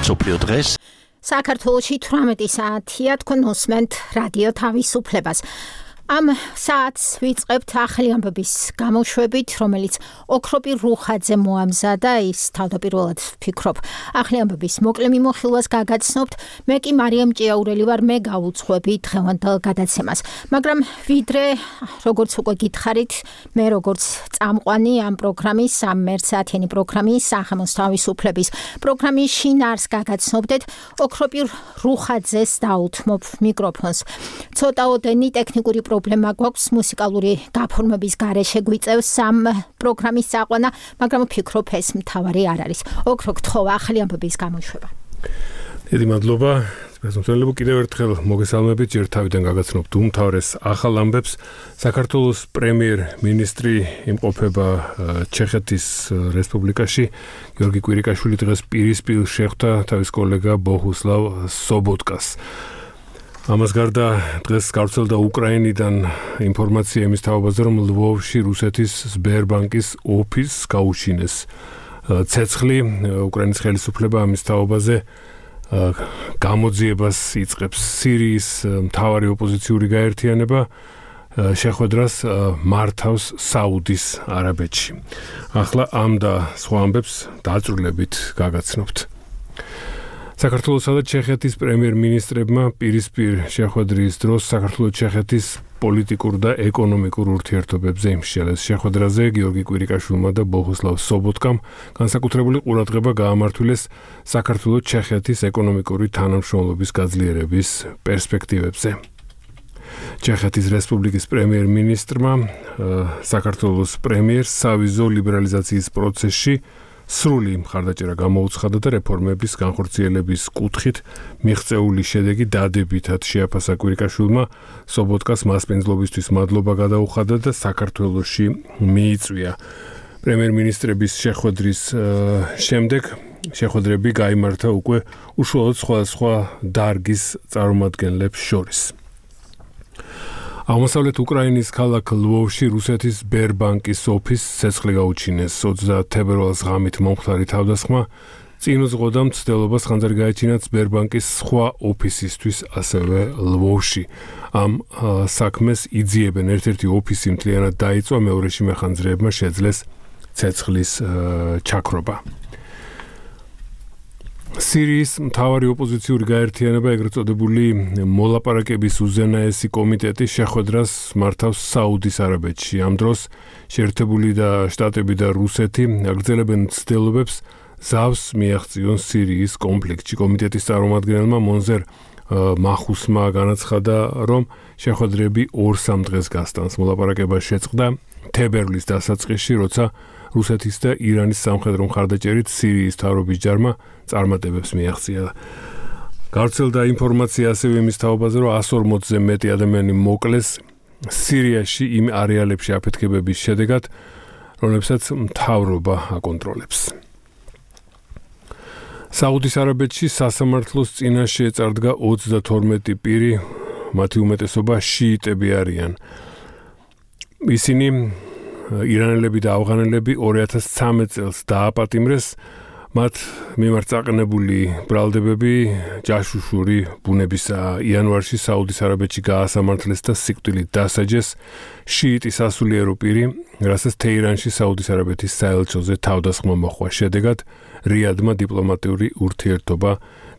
სოფლიო დღეს საქართველოში 18 საათია თქვენ უსმენთ რადიო თავისუფლებას. Am საათს ვიწყებთ ახალი ამბების გამოშვებით, რომელიც ოქროპირ რუხაძე მოამზადა, ის თავდაპირველად ვფიქრობ, ახალი ამბების მოკლე მიმოხილვას გაგაცნობთ, მე კი მარიამ ჭიაურელი ვარ, მე გავუძღვები დღევანდელ გადაცემას. მაგრამ ვიდრე, როგორც უკვე გითხარით, მე როგორც წამყვანი ამ პროგრამის, ამ მერცაათიანი პროგრამის, სახელმწიფოს თავისუფლების პროგრამის შინაარსს გაგაცნობდეთ, ოქროპირ რუხაძეს დაუთმობ მიკროფონს. ცოტაოდენი ტექნიკური პრობლემა გვაქვს მუსიკალური გაფორმების გარეშე გვიწევს ამ პროგრამის წაყვანა, მაგრამ ვფიქრობ ეს მთავარი არ არის. ოქრო გთხოვა ახალი ამბების გამოშვება. დიდი მადლობა. სპეციალისტებო კიდევ ერთხელ მოგესალმებით, ჯერ თავიდან გაგაცნობთ უმთავრეს ახალ ამბებს. საქართველოს პრემიერ-მინისტრი იმყოფება ჩეხეთის რესპუბლიკაში. გიორგი კვირიკაშვილი დღეს პირისპირ შეხვდა თავის კოლეგა ბოჰუსლავ სობოტკას. ამას გარდა დღეს გავრცელდა უკრაინიდან ინფორმაცია იმის თაობაზე, რომ ლვოვში რუსეთის სბერბანკის ოფისს გაუჩინეს ცეცხლი. უკრაინის ხელისუფლება ამის თაობაზე გამოძიებას იწყებს. სირიის მთავარი ოპოზიციური გაერთიანება შეხვედრას მართავს საუდის არაბეთში. ახლა ამ და სხვა ამბებს დაწვრილებით გაგაცნობთ. საქართველოსა და ჩეხეთის პრემიერ-მინისტრებმა პირისპირ შეხვედრის დროს საქართველოს-ჩეხეთის პოლიტიკურ და ეკონომიკურ ურთიერთობებზე იმსხილეს. შეხვედრაზე გიორგი კვირიკაშვილმა და ბოჰუსლავ სობოტკამ განსაკუთრებული ყურადღება გაამართვილეს საქართველოს-ჩეხეთის ეკონომიკური თანამშრომლობის გაძლიერების პერსპექტივებზე. ჩეხეთის რესპუბლიკის პრემიერ-მინისტრმა საქართველოს პრემიერს სავიზო ლიბერალიზაციის პროცესში სრული მხარდაჭერა გამოუცხადა და რეფორმების განხორციელების კუთხით მიღწეული შედეგი დადებითად შეაფასა. კვირიკაშვილმა სობოტკას მასპინძლობისთვის მადლობა გადაუხადა და საქართველოში მიიწვია. პრემიერ-მინისტრების შეხვედრის შემდეგ შეხვედრები გაიმართა უკვე უშუალოდ სხვადასხვა დარგის წარმომადგენლებს შორის. აღმოსავლეთ უკრაინის ქალაქ ლვოვში რუსეთის სბერბანკის ოფისს ცეცხლი გაუჩინეს. 30 თებერვალს ღამით მომხდარი თავდასხმა წინ უძღოდა მცდელობას ხანძარი გაეჩინათ სბერბანკის სხვა ოფისისთვის ასევე ლვოვში. ამ საქმეს იძიებენ ერთ-ერთი ოფისი მთლიანად დაიწვა, მეორეში მეხანძრეებმა შეძლეს ცეცხლის ჩაქრობა. სირიის მთავარი ოპოზიციური გაერთიანება, ეგრეთ წოდებული მოლაპარაკების უზენაესი კომიტეტი შეხვედრას მართავს საუდის არაბეთში. ამ დროს შეერთებული შტატები და რუსეთი აგრძელებენ ცდილობებს ზავს მიაღწიონ სირიის კონფლიქტში. კომიტეტის წარმომადგენელმა მონზერ მახუსმა განაცხადა, რომ შეხვედრები 2-3 დღეს გასტანს. მოლაპარაკება შეწყდა თებერვლის დასაწყისში, როცა რუსეთის და ირანის სამხედრო მხარდაჭერით სირიის მთავრობის ჯარმა წარმატებებს მიაღწია. გავრცელდა ინფორმაცია ასევე იმის თაობაზე, რომ 140-ზე მეტი ადამიანი მოკლეს სირიაში იმ არეალებში აფეთქებების შედეგად, რომლებსაც მთავრობა აკონტროლებს. საუდის არაბეთში სასამართლოს წინაშე წარდგა 32 პირი, მათი უმეტესობა შიიტები არიან. ისინი ირანელები და ავღანელები 2013 წელს დააპატიმრეს, მათ მიმართ წაყენებული ბრალდებები ჯაშუშური ბუნებისაა. იანვარში საუდის არაბეთში გაასამართლეს და სიკვდილით დასაჯეს შიიტი სასულიერო პირი, რასაც თეირანში საუდის არაბეთის საელჩოზე თავდასხმა მოჰყვა. შედეგად რიადმა დიპლომატიური ურთიერთობა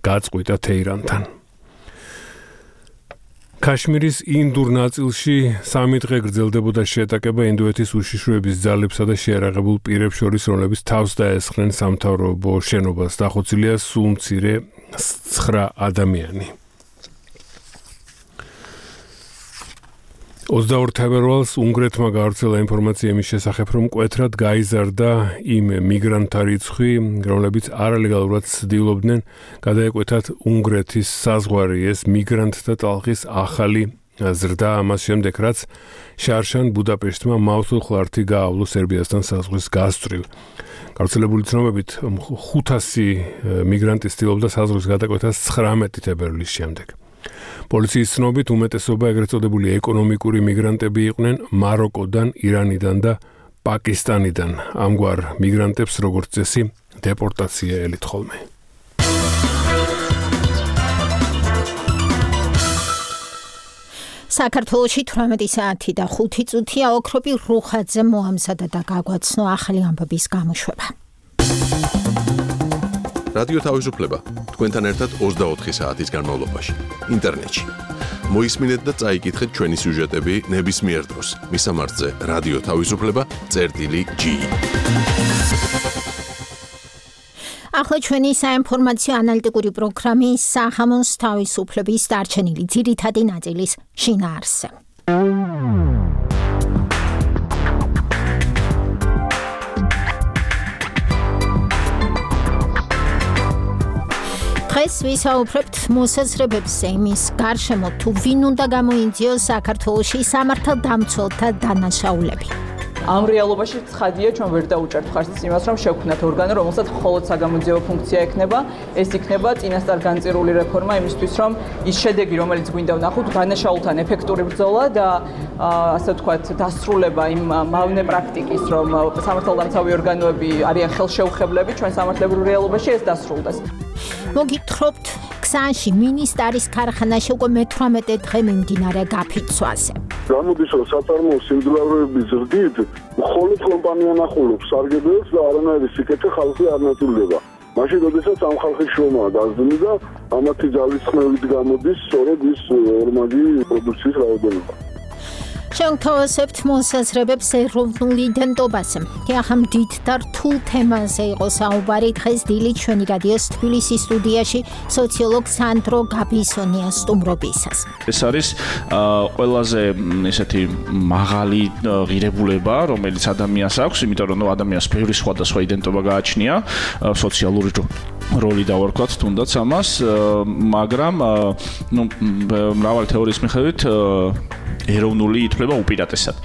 გაწყვიტა თეირანთან. ქაშმირის ინდურ ნაწილში 3 დღე გრძელდებოდა შეტაკება ინდოეთის უშიშროების ძალებსა და შეიარაღებულ პირებს შორის, რომლებიც თავს დაესხნენ სამთავრობო შენობას. დახოცილია სულ მცირე 9 ადამიანი. 22 თებერვალს უნგრეთმა გავრცელა ინფორმაცია იმის შესახებ, რომ მკვეთრად გაიზარდა იმ მიგრანტთა რიცხვი, რომლებიც არალეგალურად ცდილობდნენ გადაეკვეთათ უნგრეთის საზღვარი. ეს მიგრანტთა ტალღის ახალი ზრდა ამას შემდეგ, რაც შარშან ბუდაპეშტმა მავთულხლართი გაავლო სერბიასთან საზღვრის გასწვრივ. გავრცელებული ცნობებით 500 მიგრანტი ცდილობდა საზღვრის გადაკვეთას 19 თებერვლის შემდეგ. პოლიციის ცნობით უმეტესობა ეგრეთ წოდებული ეკონომიკური მიგრანტები იყვნენ მაროკოდან, ირანიდან და პაკისტანიდან. ამგვარ მიგრანტებს როგორც წესი დეპორტაცია ელით ხოლმე. საქართველოში 18 საათი და 5 წუთია ოქროპი რუხაძე მოამზადა და გაგვაცნო ახალი ამბების გამოშვება. რადიო თავისუფლება თქვენთან ერთად 24 საათის განმავლობაში ინტერნეტში. მოისმინეთ და წაიკითხეთ ჩვენი სიუჟეტები ნებისმიერ დროს. მისამართზე რადიო თავისუფლება.gi. ახლა ჩვენი საინფორმაციო ანალიტიკური პროგრამი სახამოს თავისუფლების დარჩენილი ძირითადი ნაწილის შინაარსზე. დღეს ვისაუბრებთ მოსაზრებებზე იმის გარშემო თუ ვინ უნდა გამოიძიოს საქართველოში სამართალდამცველთა დანაშაულები. ამ რეალობაში ცხადია ჩვენ ვერ დაუჭერთ ხარჯს იმას რომ შევქმნათ ორგანო რომელსაც მხოლოდ საგამოძიებო ფუნქცია ექნება ეს იქნება წინასწარ განწირული რეფორმა იმისთვის რომ ის შედეგი რომელიც გვინდა ვნახოთ დანაშაულთან ეფექტური ბრძოლა და ასე ვთქვათ დასრულება იმ მავნე პრაქტიკის რომ სამართალდამცავი ორგანოები არიან ხელშეუხებლები ჩვენ სამართლებრივ რეალობაში ეს დასრულდეს. მოგითხრობთ ქსანში მინისტრის ქარხანაში უკვე მე-18 დღე მიმდინარე გაფიცვაზე. გამოდის რომ საწარმოო სიმძლავრეების ზრდით მხოლოდ კომპანია ნახულობს სარგებელს და არანაირი სიკეთე ხალხი არ ნაწილდება. მაშინ როდესაც ამ ხალხის შრომა გაზრდილი და ამათი ძალისხმევით გამოდის სწორედ ის ორმაგი პროდუქციის რაოდენობა. შევთავაზებთ მოსაზრებებს ეროვნულ იდენტობაზე. ახლა დიდ და რთულ თემაზე იყო საუბარი დღეს დილით ჩვენი რადიოს თბილისის სტუდიაში სოციოლოგ სანდრო გაბისონიას სტუმრობისას. ეს არის ყველაზე ესეთი მაღალი ღირებულება, რომელიც ადამიანს აქვს, იმიტომ რომ ადამიანს ბევრი სხვადასხვა იდენტობა გააჩნია, სოციალური როლი დავარქვათ თუნდაც ამას, მაგრამ მრავალი თეორიის მიხედვით ეროვნული ითვლება უპირატესად.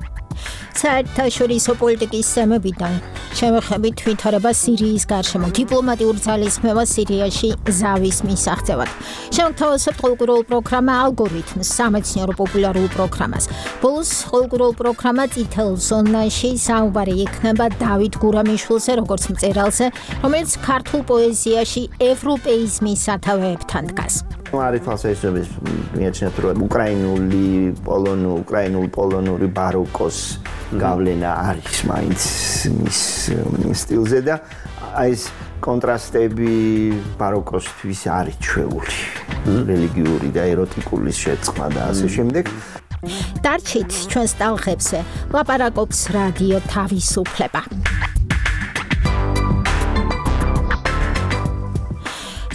საერთაშორისო პოლიტიკის თემებიდან შევეხებით ვითარება სირიის გარშემო, დიპლომატიურ ძალისხმევა სირიაში ზავის მისაღწევად. შევთავაზებთ ყოველკვირეულ პროგრამა ალგორითმს, სამეცნიერო პოპულარულ პროგრამას. ბოლოს ყოველკვირეულ პროგრამა წითელ ზონაში საუბარი იქნება დავით გურამიშვილზე, როგორც მწერალზე, რომელიც ქართულ პოეზიაში ევროპეიზმის სათავეებთან დგას. არის თვალსაჩინო მიაჩნიათ რომ უკრაინულ-პოლონური ბაროკოს გავლენა არის მაინც მის სტილზე და ეს კონტრასტები ბაროკოსთვის არის ჩვეული რელიგიური და ეროტიკული შეწყმა და ასე შემდეგ. დარჩით ჩვენს ტალღებზე ლაპარაკობს რადიო თავისუფლება.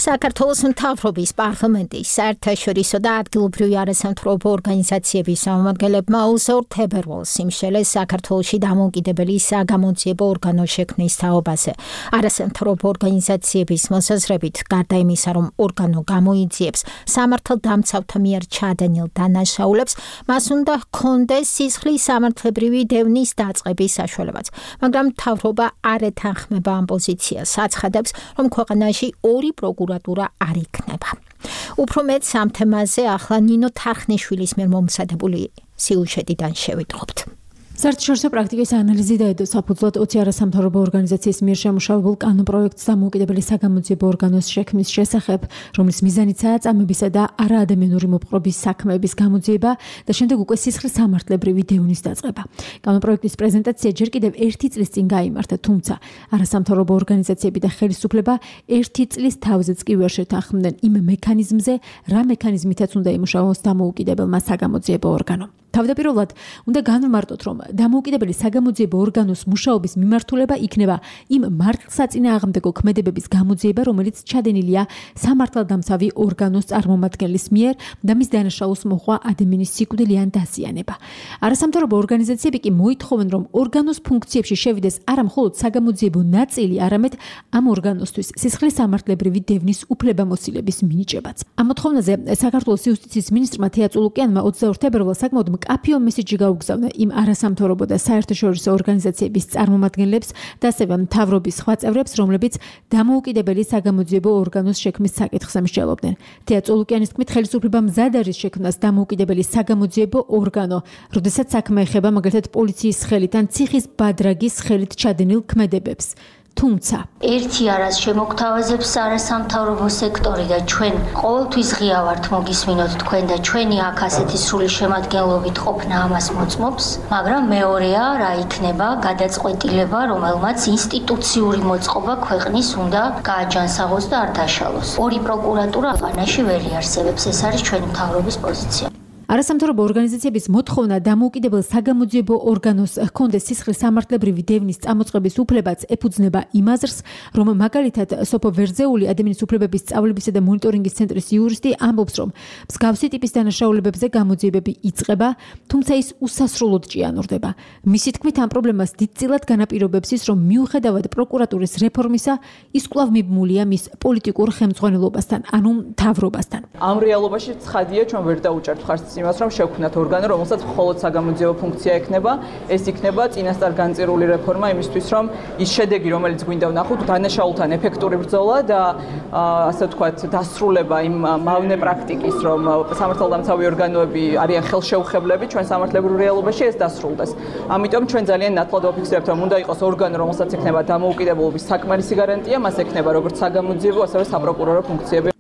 საქართველოს მთავრობის პარლამენტის საერთაშორისო და ადგილობრივი არასამთავრობო ორგანიზაციების წარმომადგენლებმა 20 თებერვალს იმშელეს საქართველოში დამოუკიდებელი საგამოძიებო ორგანოს შექმნის თაობაზე. არასამთავრობო ორგანიზაციების მოსაზრებით, გარდა იმისა, რომ ორგანო გამოიძიებს სამართალდამცავთა მიერ ჩადენილ დანაშაულებს, მას უნდა ჰქონდეს სისხლის სამართლებრივი დევნის დაწყების საშუალებაც. მაგრამ მთავრობა არ ეთანხმება ამ პოზიციას, აცხადებს, რომ ქვეყანაში ორი პროკურატურა არ იქნება. უფრო მეტს ამ თემაზე ახლა ნინო თარხნიშვილის მიერ მომზადებული სიუჟეტიდან შევიტყობთ. საერთაშორისო პრაქტიკის ანალიზი და ედო საფუძვლად 20 არასამთავრობო ორგანიზაციის მიერ შემუშავებულ კანონპროექტს დამოუკიდებელი საგამოძიებო ორგანოს შექმნის შესახებ, რომლის მიზანიცაა წამებისა და არაადამიანური მოპყრობის საქმეების გამოძიება და შემდეგ უკვე სისხლის სამართლებრივი დევნის დაწყება. კანონპროექტის პრეზენტაცია ჯერ კიდევ 1 წლის წინ გაიმართა, თუმცა არასამთავრობო ორგანიზაციები და ხელისუფლება 1 წლის თავზეც კი ვერ შეთანხმდნენ იმ მექანიზმზე, რა მექანიზმითაც უნდა იმუშაოს დამოუკიდებელმა საგამოძიებო ორგანომ. თავდაპირველად უნდა განვმარტოთ, რომ დამოუკიდებელი საგამოძიებო ორგანოს მუშაობის მიმართულება იქნება იმ მართლსაწინააღმდეგო ქმედებების გამოძიება, რომელიც ჩადენილია სამართალდამცავი ორგანოს წარმომადგენლის მიერ და მის დანაშაულს მოჰყვა ადამიანის სიკვდილიან დაზიანება. არასამთავრობო ორგანიზაციები კი მოითხოვენ, რომ ორგანოს ფუნქციებში შევიდეს არა მხოლოდ საგამოძიებო ნაწილი, არამედ ამ ორგანოსთვის სისხლის სამართლებრივი დევნის უფლებამოსილების მინიჭებაც. ამ მოთხოვნაზე საქართველოს იუსტიციის მინისტრმა თეა წულუკიანმა 22 თებერვალს საკმაოდ მკაფიო მესიჯი გაუგზავნა იმ არასამთავრობო და საერთაშორისო ორგანიზაციების წარმომადგენლებს და ასევე მთავრობის სხვა წევრებს, რომლებიც დამოუკიდებელი საგამოძიებო ორგანოს შექმნის საკითხს ამსჯელობდნენ. თეა წულუკიანის თქმით, ხელისუფლება მზად არის შექმნას დამოუკიდებელი საგამოძიებო ორგანო, როდესაც საქმე ეხება მაგალითად პოლიციის ხელით ან ციხის ბადრაგის ხელით ჩადენილ ქმედებებს. თუმცა ერთი არას შემოგთავაზებს არასამთავრობო სექტორი და ჩვენ ყოველთვის ღია ვართ მოგისმინოთ თქვენ და ჩვენი აქ ასეთი სრული შემადგენლობით ყოფნა ამას მოწმობს, მაგრამ მეორეა რა იქნება გადაწყვეტილება, რომელმაც ინსტიტუციური მოწყობა ქვეყნის უნდა გააჯანსაღოს და არ დაშალოს. ორი პროკურატურა აღანაში ვერ იარსებებს, ეს არის ჩვენი მთავრობის პოზიცია. არასამთავრობო ორგანიზაციების მოთხოვნა დამოუკიდებელ საგამოძიებო ორგანოს ჰქონდეს სისხლის სამართლებრივი დევნის წამოწყების უფლებაც ეფუძნება იმ აზრს, რომ მაგალითად სოფო ვერძეული ადამიანის უფლებების სწავლებისა და მონიტორინგის ცენტრის იურისტი ამბობს, რომ მსგავსი ტიპის დანაშაულებებზე გამოძიებები იწყება, თუმცა ის უსასრულოდ ჭიანურდება. მისი თქმით, ამ პრობლემას დიდწილად განაპირობებს ის, რომ მიუხედავად პროკურატურის რეფორმისა, ის კვლავ მიბმულია მის პოლიტიკურ ხელმძღვანელობასთან, ანუ მთავრობასთან. ამ რეალობაში ცხადია, ჩვენ ვერ დაუჭერთ ხარჯს იმას, რომ შევქმნათ ორგანო, რომელსაც მხოლოდ საგამოძიებო ფუნქცია ექნება, ეს იქნება წინასწარ განწირული რეფორმა იმისთვის, რომ ის შედეგი, რომელიც გვინდა ვნახოთ, დანაშაულთან ეფექტური ბრძოლა და ასე ვთქვათ, დასრულება იმ მავნე პრაქტიკის, რომ სამართალდამცავი ორგანოები არიან ხელშეუხებლები ჩვენ სამართლებრივ რეალობაში ეს დასრულდეს. ამიტომ ჩვენ ძალიან ნათლად ვაფიქსირებთ, რომ უნდა იყოს ორგანო, რომელსაც ექნება დამოუკიდებლობის საკმარისი გარანტია, მას ექნება როგორც საგამოძიებო, ასევე საპროკურორო ფუნქციები.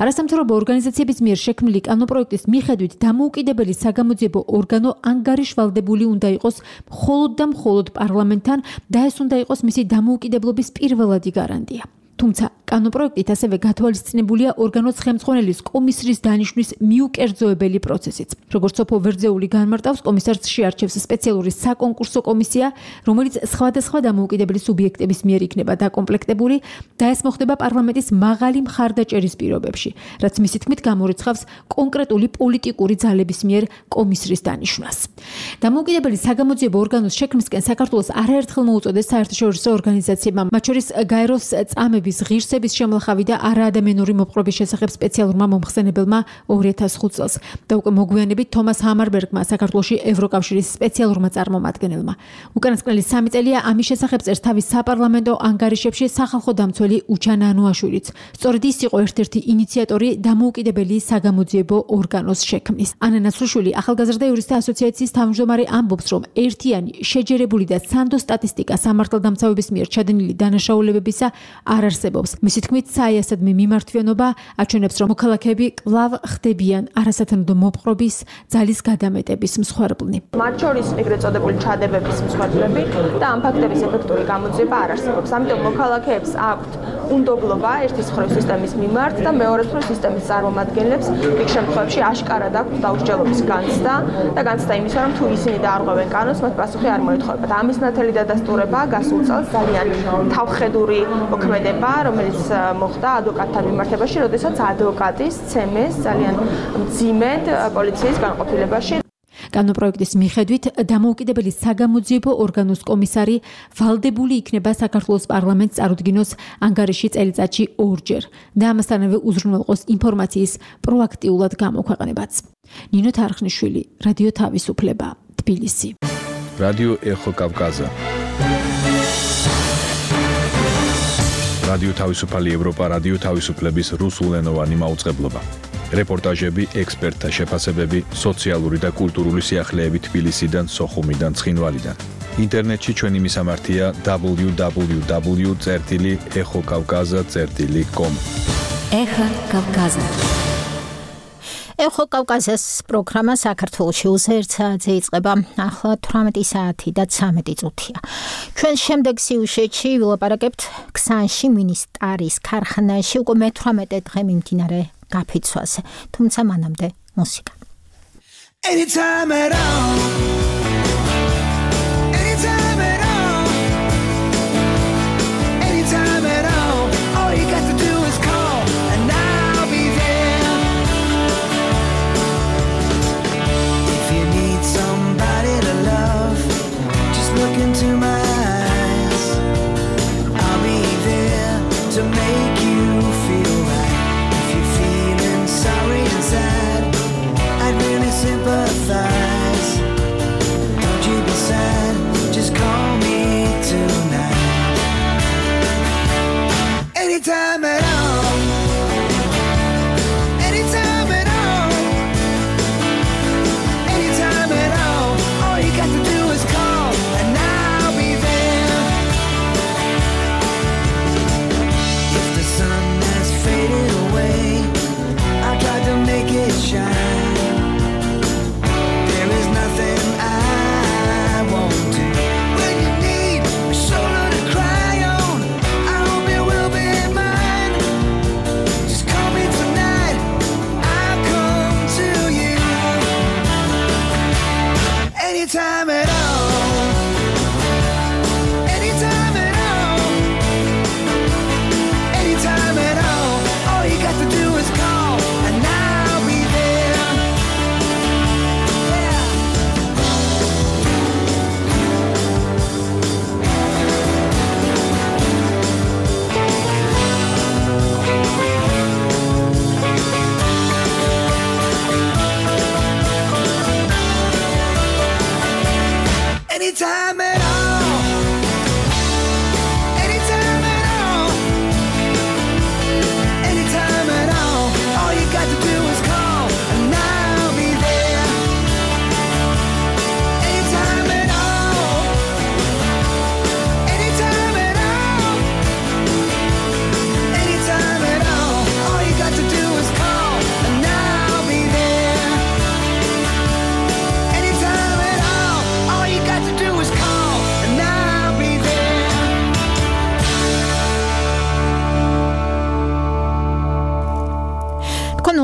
არასამთავრობო ორგანიზაციების მიერ შექმნილი კანონპროექტის მიხედვით დამოუკიდებელი საგამოძიებო ორგანო ანგარიშვალდებული უნდა იყოს მხოლოდ და მხოლოდ პარლამენტთან და ეს უნდა იყოს მისი დამოუკიდებლობის პირველადი გარანტია. თუმცა კანონპროექტით ასევე გათვალისწინებულია ორგანოს ხელმძღვანელის კომისრის დანიშვნის მიუკერძოებელი პროცესიც. როგორც სოფო ვერძეული განმარტავს, კომისარს შეარჩევს სპეციალური საკონკურსო კომისია, რომელიც სხვადასხვა დამოუკიდებელი სუბიექტების მიერ იქნება დაკომპლექტებული და ეს მოხდება პარლამენტის მაღალი მხარდაჭერის პირობებში, რაც მისი თქმით გამორიცხავს კონკრეტული პოლიტიკური ძალების მიერ კომისრის დანიშვნას. დამოუკიდებელი საგამოძიებო ორგანოს შექმნისკენ საქართველოს არაერთხელ მოუწოდეს საერთაშორისო ორგანიზაციებმა, მათ შორის გაეროს წამების ღირსების შემლახავი და არაადამიანური მოპყრობის შესახებ სპეციალურმა მომხსენებელმა 2005 წელს და უკვე მოგვიანებით თომას ჰამარბერგმა საქართველოში ევროკავშირის სპეციალურმა წარმომადგენელმა. უკანასკნელი 3 წელია ამის შესახებ წერს თავის საპარლამენტო ანგარიშებში სახალხო დამცველი უჩან ანუაშვილიც. სწორედ ის იყო ერთ-ერთი ინიციატორი დამოუკიდებელი საგამოძიებო ორგანოს შექმნის. ანა ნაცრუშვილი ახალგაზრდა იურისტთა ასოციაციის თავმჯდომარე ამბობს, რომ ერთიანი, შეჯერებული და სანდო სტატისტიკა სამართალდამცავების მიერ ჩადენილი დანაშაულებებისა არ არსებობს. მისი თქმით, საიასადმი მიმართვიანობა აჩვენებს, რომ მოქალაქეები კვლავ ხდებიან არასათანადო მოპყრობის, ძალის გადამეტების მსხვერპლნი. მათ შორის ეგრეთ წოდებული ჩადებების მსხვერპლები და ამ ფაქტების ეფექტური გამოძიება არ არსებობს. ამიტომ მოქალაქეებს აქვთ უნდობლობა ერთის მხრივ სისტემის მიმართ და მეორეს მხრივ სისტემის წარმომადგენლებს იქ შემთხვევებში აშკარად აქვთ დაუსჯელობის განცდა და განცდა იმისა, რომ თუ ისინი დაარღვევენ კანონს, მათ პასუხი არ მოეთხოვებათ. ამის ნათელი დადასტურება გასულ წელს ძალიან თავხედური მოქმედება, რომელიც მოხდა ადვოკატთან მიმართებაში, როდესაც ადვოკატის ცემეს ძალიან მძიმედ პოლიციის განყოფილებაში. კანონპროექტის მიხედვით დამოუკიდებელი საგამოძიებო ორგანოს კომისარი ვალდებული იქნება საქართველოს პარლამენტს წარუდგინოს ანგარიში წელიწადში 2 ჯერ და ამასთანავე უზრუნველყოს ინფორმაციის პროაქტიულად გამოქვეყნებაც. ნინო თარხნიშვილი, რადიო თავისუფლება, თბილისი. რადიო ეხო კავკაზა. რადიო თავისუფალი ევროპა, რადიო თავისუფლების რუსულენოვანი მაუწყებლობა. რეპორტაჟები, ექსპერტთა შეფასებები, სოციალური და კულტურული სიახლეები თბილისიდან, სოხუმიდან, ცხინვალიდან. ინტერნეტში ჩვენი მისამართია www.exokavkaza.com. ეხა კავკაზა. ეხო კავკაზას პროგრამა საქართველოში უზერთ საათზე იწყება. ახლა 18 საათი და 13 წუთია. ჩვენ შემდეგ სიუჟეტში ვილაპარაკებთ ქსანში მინისტარის ქარხანაში უკვე მე-18 დღე მიმდინარე გაფიცვაზე. თუმცა მანამდე მუსიკა. Anytime at all. Anytime at all. Anytime at all. All you got to do is call and I'll be there. If you need somebody to love, just look into my eyes. I'll be there to make you feel right. If you're feeling sorry inside, I'd really sympathize.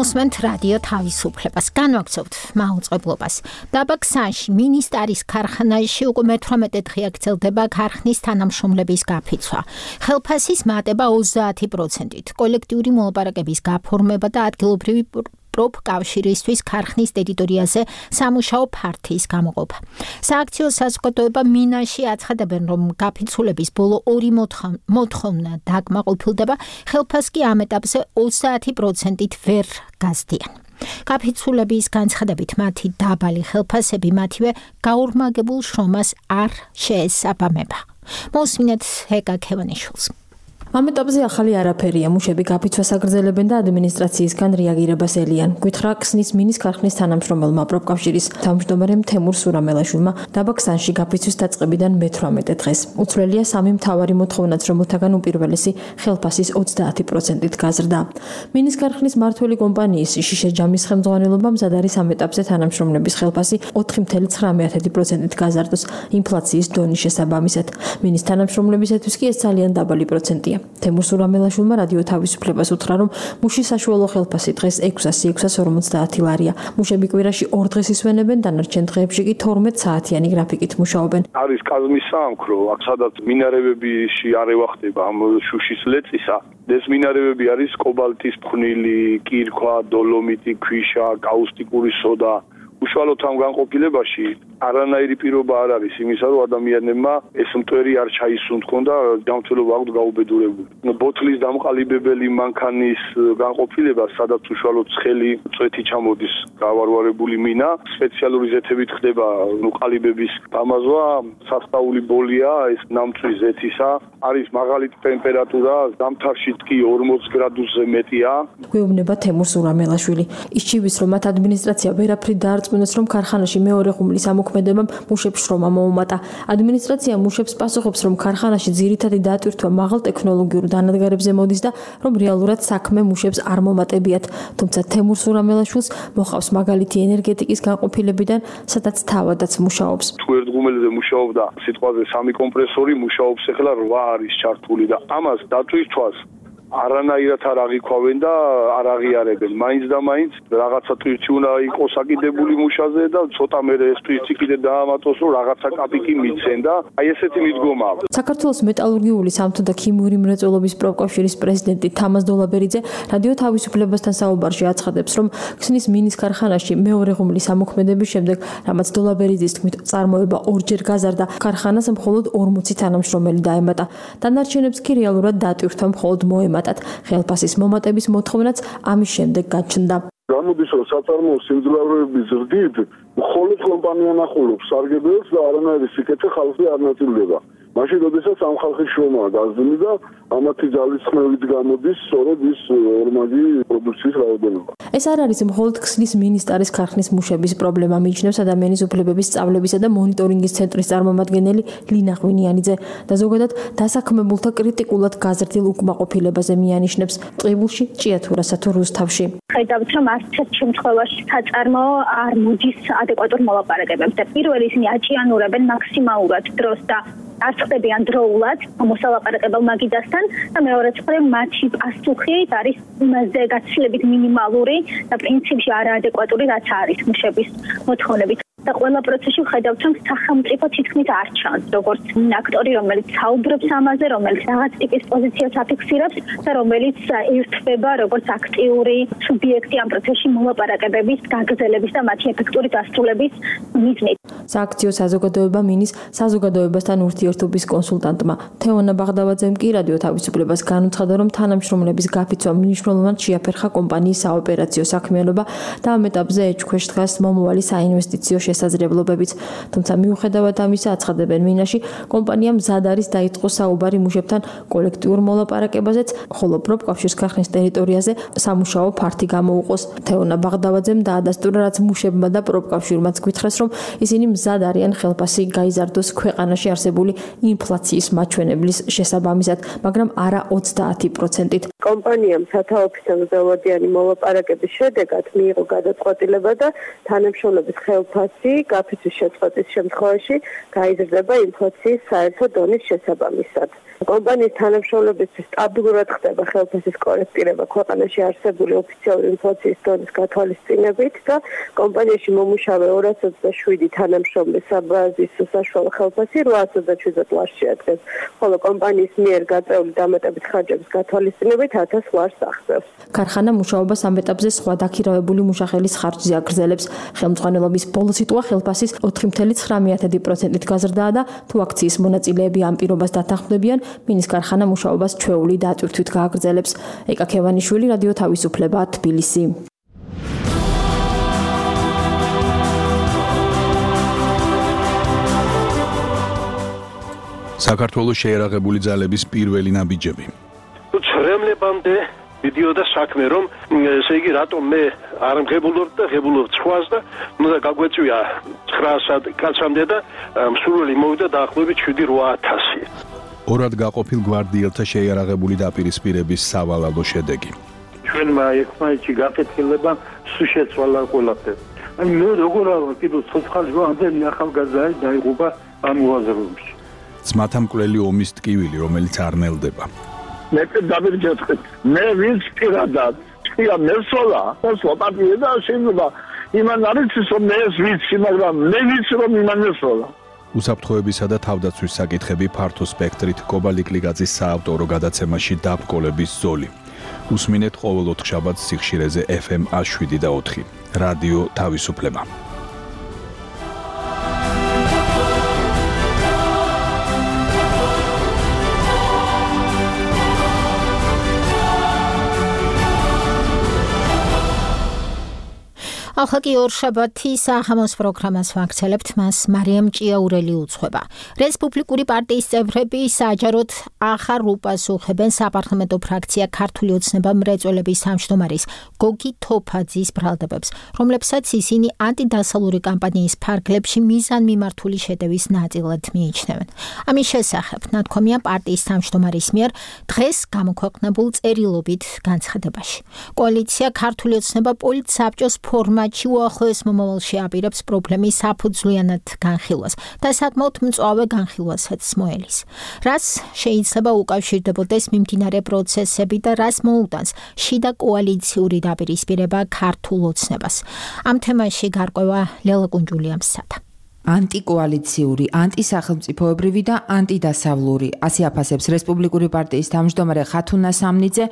უსმენთ რადიო თავისუფლებას. განვაგრძობთ მაუწყებლობას. დაბა ქსანში მინისტარის ქარხანაში უკვე მე-18 დღე გრძელდება ქარხნის თანამშრომლების გაფიცვა. ხელფასის მატება 30%-ით, კოლექტიური მოლაპარაკების გაფორმება და ადგილობრივი პროფკავშირისთვის ქარხნის ტერიტორიაზე სამუშაო ფართის გამოყოფა. სააქციო საზოგადოება მინაში აცხადებენ, რომ გაფიცულების ბოლო 2 მოთხოვნა დაკმაყოფილდება, ხელფასს კი ამ ეტაპზე 30%-ით ვერ გაზდიან. გაფიცულების განცხადებით მათი დაბალი ხელფასები მათივე გაორმაგებულ შრომას არ შეესაბამება. მოსმინეთ ჰეკა ქევანიშვილს. ამ ეტაპზე ახალი არაფერია, მუშები გაფიცვას აგრძელებენ და ადმინისტრაციისგან რეაგირებას ელიან. გვითხრა ქსნის მინის ქარხნის თანამშრომელმა პროფკავშირის თავმჯდომარემ თემურ სურამელაშვილმა დაბა ქსანში გაფიცვის დაწყებიდან მე-18 დღეს. უცვლელია 3 მთავარი მოთხოვნაც, რომელთაგან უპირველესი ხელფასის 30%-ით გაზრდა. მინის ქარხნის მმართველი კომპანიის შიშე ჯამის ხელმძღვანელობამ მზად არის ამ ეტაპზე თანამშრომლების ხელფასი 4,9%-ით გაზარდოს ინფლაციის დონის შესაბამისად. მინის თანამშრომლებისათვის კი ეს ძალიან დაბალი პროცენტია. თემურ სურამელაშვილმა რადიო თავისუფლებას უთხრა, რომ მუშის საშუალო ხელფასი დღეს 650 ლარია. მუშები კვირაში 2 დღეს ისვენებენ, დანარჩენ დღეებში კი 12 საათიანი გრაფიკით მუშაობენ. არის კაზმის საამქრო, აქ სადაც მინარევებში არევა ხდება ამ შუშის ლეწისა. ეს მინარევები არის კობალტის ფხვნილი, კირქვა, დოლომიტი, ქვიშა, კაუსტიკური სოდა. უშუალოდ ამ განყოფილებაში არანაირი პირობა არ არის იმისა, რომ ადამიანებმა ეს მტვერი არ ჩაისუნთქონ და ჯანმრთელობა აქვთ გაუბედურებული. ბოთლის დამყალიბებელი მანქანის განყოფილება, სადაც უშუალოდ ცხელი წვეთი ჩამოდის გავარვარებული მინა, სპეციალური ზეთებით ხდება ყალიბების დამაზვა, სასწაული ბოლია, ეს ნამწვი ზეთისა, არის მაღალი ტემპერატურა, ზამთარშიც კი 40 გრადუსზე მეტია. გვეუბნება თემურ სურამელაშვილი. ისჩივის, რომ მათ ადმინისტრაცია ვერაფრით დაარწმუნეს, რომ ქარხანაში მეორე ღუმლის ამოქმედებამ მუშებს შრომა მოუმატა. ადმინისტრაცია მუშებს პასუხობს, რომ ქარხანაში ძირითადი დატვირთვა მაღალ ტექნოლოგიურ დანადგარებზე მოდის და რომ რეალურად საქმე მუშებს არ მომატებიათ. თუმცა თემურ სურამელაშვილს მოყავს მაგალითი ენერგეტიკის განყოფილებიდან, სადაც თავადაც მუშაობს. თუ ერთ ღუმელზე მუშაობდა სიტყვაზე 3 კომპრესორი, მუშაობს ახლა 8 არის ჩართული და ამას დატვირთვას არანაირად არ აღიქვავენ და არ აღიარებენ. მაინც და მაინც რაღაცა ტვირთი უნდა იყოს აკიდებული მუშაზე და ცოტა მერე ეს ტვირთი კიდე დაამატოს, რომ რაღაცა კაპიკი მიცენ და აი ესეთი მიდგომაა. საქართველოს მეტალურგიული სამთო და ქიმიური მრეწველობის პროფკავშირის პრეზიდენტი თამაზ დოლაბერიძე რადიო თავისუფლებასთან საუბარში აცხადებს, რომ ქსნის მინის ქარხანაში მეორე ღუმლის ამოქმედების შემდეგ, რამაც დოლაბერიძის თქმით წარმოება 2-ჯერ გაზარდა, ქარხანას მხოლოდ 40 თანამშრომელი დაემატა. დანარჩენებს კი რეალურად დატვირთვა მხოლოდ მოემატა. ხელფასის მომატების მოთხოვნაც ამის შემდეგ გაჩნდა. გამოდის, რომ საწარმოო სიმძლავრეების ზრდით მხოლოდ კომპანია ნახულობს სარგებელს და არანაირი სიკეთე ხალხი არ ნაწილდება. მაშინ როდესაც ამ ხალხის შრომაა გაზრდილი და ამათი ძალისხმევით გამოდის სწორედ ის ორმაგი პროდუქციის რაოდენობა. ეს არ არის მხოლოდ ქსნის მინისტრის ქარხნის მუშების პრობლემა, მიიჩნევს ადამიანის უფლებების სწავლებისა და მონიტორინგის ცენტრის წარმომადგენელი ლინა ღვინიანიძე და ზოგადად დასაქმებულთა კრიტიკულად გაზრდილ უკმაყოფილებაზე მიანიშნებს ტყიბულში, ჭიათურასა თუ რუსთავში. ხედავთ, რომ არც ერთ შემთხვევაში საწარმოო არ მოდის ადეკვატურ მოლაპარაკებებს და პირველი ისინი აჭიანურებენ მაქსიმალურად დროს და არც ხდებიან დროულად მოსალაპარაკებელ მაგიდასთან და მეორე მხრივ მათი პასუხი არის იმაზე გაცილებით მინიმალური და პრინციპში არაადეკვატური, რაც არის მუშების მოთხოვნებით. და ყველა პროცესში ვხედავთ, რომ სახელმწიფო თითქმის არ ჩანს, როგორც აქტორი, რომელიც საუბრობს ამაზე, რომელიც რაღაც ტიპის პოზიციას აფიქსირებს და რომელიც ერთვება როგორც აქტიური სუბიექტი ამ პროცესში მოლაპარაკებების, გაგრძელების და მათი ეფექტური დასრულების მიზნით. სააქციო საზოგადოება მინის საზოგადოებასთან ურთიერთობის კონსულტანტმა თეონა ბაღდავაძემ კი რადიო თავისუფლებას განუცხადა, რომ თანამშრომლების გაფიცვა მნიშვნელოვნად შეაფერხა კომპანიის საოპერაციო საქმიანობა და ამ ეტაპზე ეჭქვეშ დგას მომავალი საინვესტიციო შესაძლებლობებიც. თუმცა მიუხედავად ამისა, აცხადებენ მინაში, კომპანია მზად არის დაიწყოს საუბარი მუშებთან კოლექტიურ მოლაპარაკებაზეც, ხოლო პროფკავშირის ქარხნის ტერიტორიაზე სამუშაო ფართი გამოუყოს. თეონა ბაღდავაძემ დაადასტურა, რაც მუშებმა და პროფკავშირმაც გვითხრეს, რომ ისინი მზად არიან ხელფასი გაიზარდოს ქვეყანაში არსებული ინფლაციის მაჩვენებლის შესაბამისად, მაგრამ არა 30%-ით. კომპანიამ სათაო ოფიციალურიანი მოლაპარაკების შედეგად მიიღო გადაწყვეტილება და თანამშრომლობის ხელფასი გაფიცვის შეწყვეტის შემთხვევაში გაიზრდება ინფლაციის საერთო დონის შესაბამისად. კომპანიის თანამშრომლებისთვის სტაბილურად ხდება ხელფასის კორექტირება ქვეყანაში არსებული ოფიციალური ინფლაციის დონის გათვალისწინებით და კომპანიაში მომუშავე 227 თანამშრომლის საბაზისო საშუალო ხელფასი 827 ლარს შეადგენს, ხოლო კომპანიის მიერ გაწეული დამატებით ხარჯების გათვალისწინებით 1000 ლარს აღწევს. ქარხანა მუშაობას ამ ეტაპზე სხვა დაქირავებული მუშახელის ხარჯზე აგრძელებს. ხელმძღვანელობის ბოლო სიტყვა ხელფასის 4.9%-ით გაზრდაა და თუ აქციის მონაწილეები ამ პირობას დათანხმდებიან, მინის ქარხანა მუშაობას ჩვეული დატვირთვით გააგრძელებს. ეკა ქევანიშვილი, რადიო თავისუფლება, თბილისი. საქართველოს შეერაღებული ძალების პირველი ნაბიჯები. ცრემლებამდე მიდიოდა საქმე, რომ ესე იგი რატომ მე არ მღებულობ და ღებულობ სხვას და უნდა გაგვეწვია 900 კაცამდე და მსურველი მოვიდა დაახლოებით 7-8000. ორად გაყოფილ გვარდიელთა შეიარაღებული დაპირისპირების სავალალო შედეგი. ჩვენმა ერთმანეთში გაკეთილება სულ შეცვალა ყველაფერი. აი მე როგორ არა კიდევ ცოცხალი ამდენი ახალგაზრდა დაიღუპა ამ უაზროებში. ძმათა მკვლელი ომის ტკივილი, რომელიც არ ნელდება. მე დავირჯეთქეთ. მე ვინც პირადად წია მესოლა, მოსვა პარტია და შეიძლება იმან არის რომ მე ვიცი, მაგრამ მე ვიცი რომ იმან მესოლა. უსაფრთხოებისა და თავდაცვის საკითხები ფართო სპექტრით კობალიკლიგაძის საავტორო გადაცემაში დაბრკოლების ზოლი. უსმინეთ ყოველ 4 შაბათს სიხშირეზე FM 107 და 4. რადიო თავისუფლება. ახლა ორშაბათი სახამოს პროგრამას ვაგრძელებთ, მას მარიამ ჭიაურელი უძღვება. რესპუბლიკური პარტიის წევრები საჯაროდ ახალ რუპას უხებენ საპარლამენტო ფრაქცია ქართული ოცნება მრეწველების თავმჯდომარის გოგი თოფაძის ბრალდებებს, რომლებსაც ისინი ანტიდასალური კამპანიის ფარგლებში მიზანმიმართული შეტევის ნაწილად მიიჩნევენ. ამის შესახებ ნათქვამია პარტიის თავმჯდომარის მიერ დღეს გამოქვეყნებულ წერილობით განცხადებაში. კოალიცია ქართული ოცნება პოლიტსაბჭოს ფორმა უახლოეს მომავალში აპირებს პრობლემის საფუძვლიანად განხილვას და საკმაოდ მწვავე განხილვასაც მოელის. რას შეიძლება უკავშირდებოდეს მიმდინარე პროცესები და რას მოუტანს შიდა კოალიციური დაპირისპირება ქართულ ოცნებას. ამ თემაში გარკვევა ლელა კუნჯულიამსათა. ანტიკოალიციური, ანტისახელმწიფოებრივი და ანტიდასავლური. ასე აფასებს რესპუბლიკური პარტიის თავმჯდომარე ხათუნა სამნიძე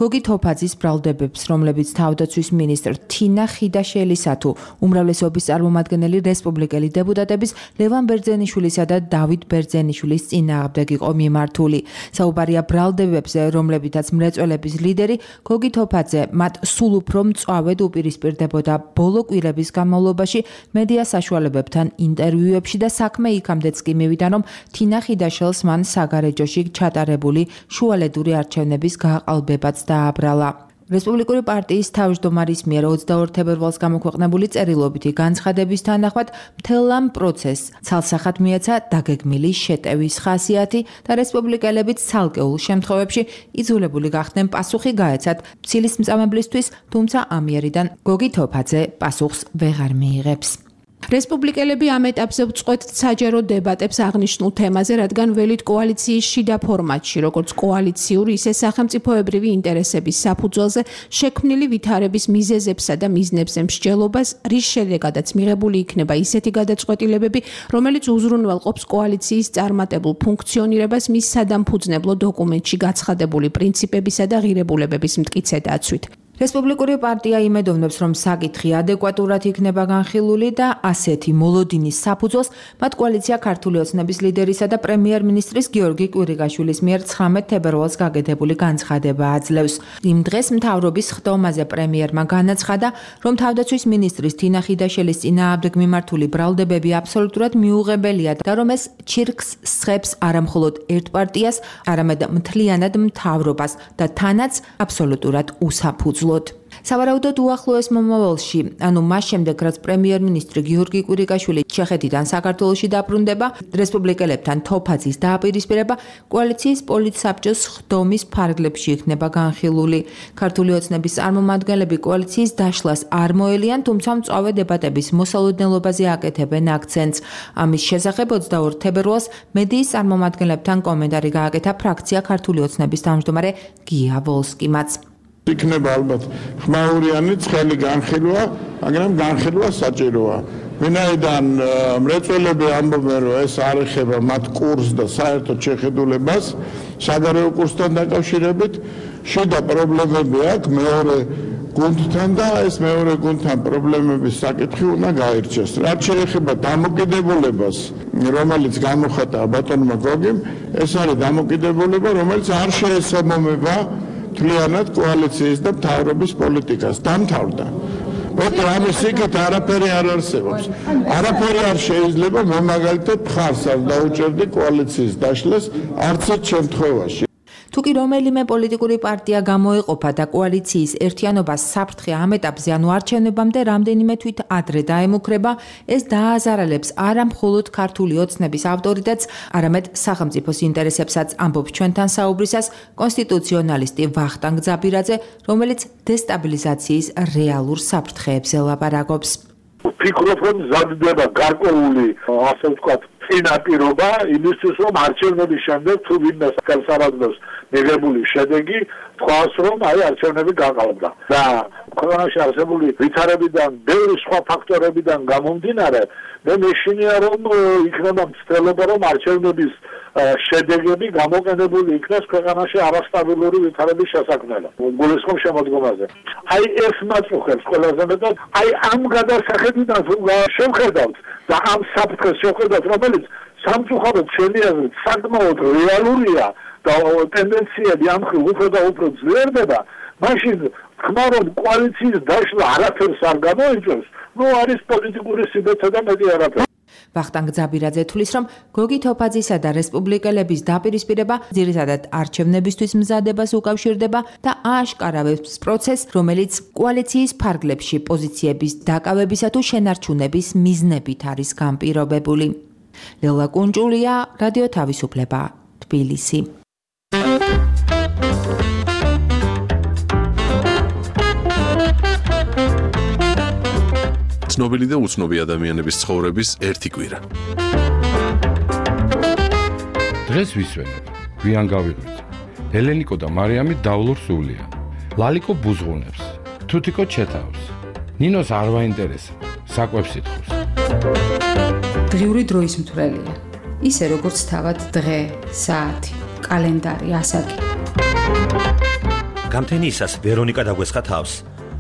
გოგი თოფაძის ბრალდებებს, რომლებიც თავდაცვის მინისტრ თინა ხიდაშელისა თუ უმრავლესობის წარმომადგენელი რესპუბლიკელი დეპუტატების ლევან ბერძენიშვილისა და დავით ბერძენიშვილის წინააღმდეგ იყო მიმართული. საუბარია ბრალდებებზე, რომლებითაც მრეწველების ლიდერი გოგი თოფაძე მათ სულ უფრო მწვავედ უპირისპირდებოდა ბოლო კვირების განმავლობაში მედია საშუალებებთან ინტერვიუებში და საქმე იქამდეც კი მივიდა, რომ თინა ხიდაშელს მან საგარეჯოში ჩატარებული შუალედური არჩევნების გააყალბებაც დააბრალა. რესპუბლიკური პარტიის თავმჯდომარის მიერ 22 თებერვალს გამოქვეყნებული წერილობითი განცხადების თანახმად მთელ ამ პროცესს ცალსახად მიეცა დაგეგმილი შეტევის ხასიათი და რესპუბლიკელებიც ცალკეულ შემთხვევებში იძულებული გახდნენ პასუხი გაეცათ ცილის მწამებლისთვის, თუმცა ამიერიდან გოგი თოფაძე პასუხს ვეღარ მიიღებს. რესპუბლიკელები ამ ეტაპზე ვწყვეტთ საჯარო დებატებს აღნიშნულ თემაზე, რადგან ველით კოალიციის შიდა ფორმატში, როგორც კოალიციური, ისე სახელმწიფოებრივი ინტერესების საფუძველზე შექმნილი ვითარების მიზეზებსა და მიზნებზე მსჯელობას, რის შედეგადაც მიღებული იქნება ისეთი გადაწყვეტილებები, რომელიც უზრუნველყოფს კოალიციის წარმატებულ ფუნქციონირებას მის სადამფუძნებლო დოკუმენტში გაცხადებული პრინციპებისა და ღირებულებების მტკიცე დაცვით. რესპუბლიკური პარტია იმედოვნებს, რომ საკითხი ადეკვატურად იქნება განხილული და ასეთი მოლოდინის საფუძველს მათ კოალიცია ქართული ოცნების ლიდერისა და პრემიერ-მინისტრის გიორგი კვირიკაშვილის მიერ 19 თებერვალს გაკეთებული განცხადება აძლევს. იმ დღეს მთავრობის ხდომაზე პრემიერმა განაცხადა, რომ თავდაცვის მინისტრის თინა ხიდაშელის წინააღმდეგ მიმართული ბრალდებები აბსოლუტურად მიუღებელია და რომ ეს ჩირკს სხებს არამხოლოდ ერთ პარტიას, არამედ მთლიანად მთავრობას და თანაც აბსოლუტურად უსაფუძვლოდ. სავარაუდოდ უახლოეს მომავალში, ანუ მას შემდეგ, რაც პრემიერ-მინისტრი გიორგი კვირიკაშვილი ჩეხეთიდან საქართველოში დაბრუნდება, რესპუბლიკელებთან თოფაძის დააპირისპირება კოალიციის პოლიტსაბჭოს ხდომის ფარგლებში იქნება განხილული. ქართული ოცნების წარმომადგენლები კოალიციის დაშლას არ მოელიან, თუმცა მწვავე დებატების მოსალოდნელობაზე აკეთებენ აქცენტს. ამის შესახებ 22 თებერვალს მედიის წარმომადგენლებთან კომენტარი გააკეთა ფრაქცია ქართული ოცნების თავმჯდომარე გია ვოლსკიმაც. იქნება ალბათ ხმაურიანი ცხელი განხილვა, მაგრამ განხილვა საჭიროა. ვინაიდან მრეწველები ამბობენ, რომ ეს არ ეხება მათ კურსს და საერთოდ შეხედულებას, საგარეო კურსთან დაკავშირებით, შიდა პრობლემები აქვს მეორე გუნდთან და ეს მეორე გუნდთან პრობლემების საკითხი უნდა გაირჩეს. რაც შეეხება დამოკიდებულებას, რომელიც გამოხატა ბატონმა გოგიმ, ეს არის დამოკიდებულება, რომელიც არ შეესაბამება მთლიანად კოალიციის და მთავრობის პოლიტიკას. დამთავრდა. მოკლედ ამის იქით არაფერი არ არსებობს. არაფერი არ შეიძლება, მე მაგალითად მხარს არ დაუჭერდი კოალიციის დაშლას არც ერთ შემთხვევაში. თუკი რომელიმე პოლიტიკური პარტია გამოეყოფა და კოალიციის ერთიანობას საფრთხე ამ ეტაპზე, ანუ არჩევნებამდე რამდენიმე თვით ადრე დაემუქრება, ეს დააზარალებს არა მხოლოდ ქართული ოცნების ავტორიტეტს, არამედ სახელმწიფოს ინტერესებსაც, ამბობს ჩვენთან საუბრისას კონსტიტუციონალისტი ვახტანგ ძაბირაძე, რომელიც დესტაბილიზაციის რეალურ საფრთხეებზე ლაპარაკობს. ფიქრობ, რომ მზადდება გარკვეული, ასე ვთქვათ, წინაპირობა იმისთვის, რომ არჩევნების შემდეგ თუ ვინმე ხელსარაზმელს მიღებული შედეგი თქვას, რომ აი არჩევნები გაყალბდა. და ქვეყანაში არსებული ვითარებიდან, ბევრი სხვა ფაქტორებიდან გამომდინარე, მე მეშინია, რომ იქნება მცდელობა, რომ არჩევნების შედეგები გამოყენებული იქნას ქვეყანაში არასტაბილური ვითარების შესაქმნელად. გულისხმობ შემოდგომაზე. აი ეს მაწუხებს ყველაზე მეტად, აი ამ გადასახედიდან შევხედავთ და ამ საფრთხეს შევხედავთ, რომელიც სამწუხაროდ შენი აზრით საკმაოდ რეალურია და ტენდენციები ამ მხრივ უფრო და უფრო ძლიერდება, მაშინ თქმა რომ კოალიციის დაშლა არაფერს არ გამოიწვევს, ნუ არის პოლიტიკური სიბეცე და მეტი არაფერი. ვახტანგ ძაბირაძე თulis, რომ გოგი თოფაძისა და რესპუბლიკელების დაპირისპირება ძირითადად არჩევნებისთვის მზადებას უკავშირდება და ააშკარავებს პროცესს, რომელიც კოალიციის ფარგლებში პოზიციების დაკავებისა თუ შენარჩუნების მიზნებით არის განპირობებული. ლელა კუნჭულია, რადიო თავისუფლება, თბილისი. ცნობილი და უცნობი ადამიანების ცხოვრების ერთი კვირა. დღეს ვისვენებ, გვიან გავიღვიძე. ელენიკო და მარიამი დავლურ სულიან. ლალიკო ბუზღუნებს, თუთიკო ჩეთავს. ნინოს არ ვაინტერესებს, საკვებს ითხოვს. დღიური დროის მთვრელია. ისე როგორც თავად დღე, საათი, კალენდარი, ასაკი. გამთენიისას ვერონიკა დაგვესხა თავს.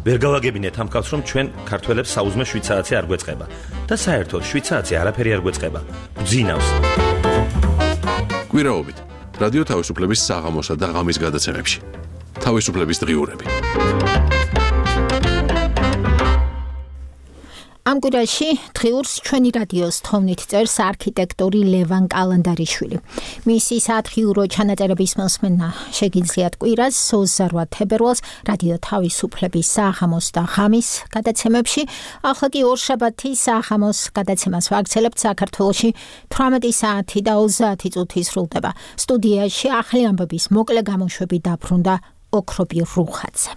ვერ გავაგებინეთ ამ კაცს, რომ ჩვენ ქართველებს საუზმე შვიცარიცი არ გვეწყება და საერთოდ შვიცარიცი არაფერი არ გვეწყება. ბძინავს. კვირაობით რადიო თავისუფლების საღამოსა და ღამის გადაცემებში. თავისუფლების დღიურები. ამ კვირაში დღიურს ჩვენი რადიოს თოვნით წერს არქიტექტორი ლევან კალანდარიშვილი. მისი საათღიურო ჩანაწერების მოსმენა შეგიძლიათ კვირას 28 თებერვალს რადიო თავისუფლების საღამოს და ღამის გადაცემებში. ახლა კი ორშაბათის საღამოს გადაცემას ვაგრძელებთ საქართველოში 18 საათი და 30 წუთი სრულდება. სტუდიაში ახალი ამბების მოკლე გამოშვები დაბრუნდა ოქრობი რუხაძე.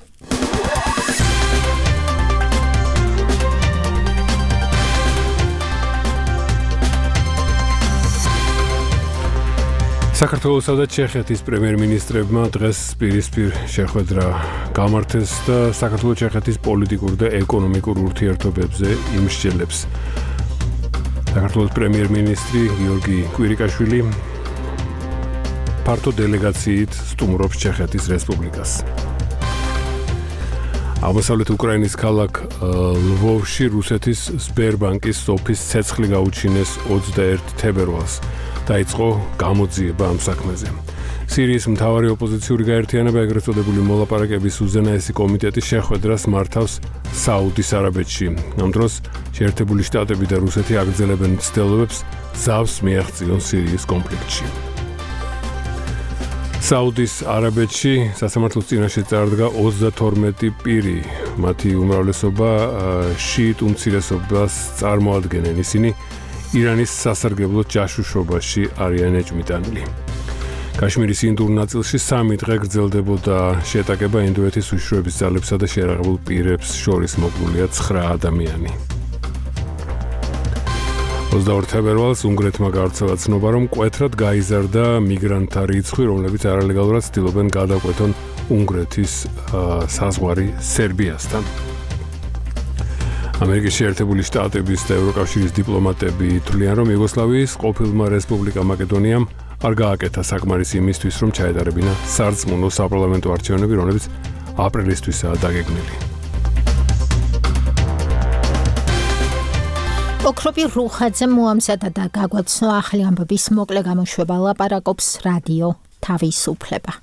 საქართველოსა და ჩეხეთის პრემიერ-მინისტრებმა დღეს პირისპირ შეხვედრა გამართეს და საქართველოს-ჩეხეთის პოლიტიკურ და ეკონომიკურ ურთიერთობებზე იმსჯელებს. საქართველოს პრემიერ-მინისტრი გიორგი კვირიკაშვილი ფართო დელეგაციით სტუმრობს ჩეხეთის რესპუბლიკას. აღმოსავლეთ უკრაინის ქალაქ ლვოვში რუსეთის სბერბანკის ოფისს ცეცხლი გაუჩინეს 21 თებერვალს. დაიწყო გამოძიება ამ საქმეზე. სირიის მთავარი ოპოზიციური გაერთიანება, ეგრეთ წოდებული მოლაპარაკების უზენაესი კომიტეტი შეხვედრას მართავს საუდის არაბეთში. ამ დროს შეერთებული შტატები და რუსეთი აგრძელებენ მცდელობებს ზავს მიაღწიონ სირიის კონფლიქტში. საუდის არაბეთში სასამართლოს წინაშე წარდგა 32 პირი. მათი უმრავლესობა შიიტ უმცირესობას წარმოადგენენ. ისინი ირანის სასარგებლო ჯაშუშობაში არიან ეჭვმიტანილი. კაშმირის ინდურ ნაწილში 3 დღე გრძელდებოდა შეტაკება ინდოეთის უშიშროების ძალებსა და შეერაღებულ პირებს შორის მოკლულია 9 ადამიანი. 22 თებერვალს უნგრეთმა გავრცელა ცნობა, რომ მკვეთრად გაიზარდა მიგრანტთა რიცხვი, რომლებიც არალეგალურად ცდილობენ გადაკვეთონ უნგრეთის საზღვარი სერბიასთან. ამერიკის შეერთებული შტატების და ევროკავშირის დიპლომატები თვლიან, რომ იუგოსლავიის ყოფილმა რესპუბლიკა მაკედონიამ არ გააკეთა საკმარისი იმისთვის, რომ ჩაეტარებინა სარწმუნო საპარლამენტო არჩევნები, რომლებიც აპრილისთვისაა დაგეგმილი. ოქროპი რუხაძე მოამზადა და გაგვაცნო ახალი ამბების მოკლე გამოშვება ლაპარაკობს რადიო თავისუფლება.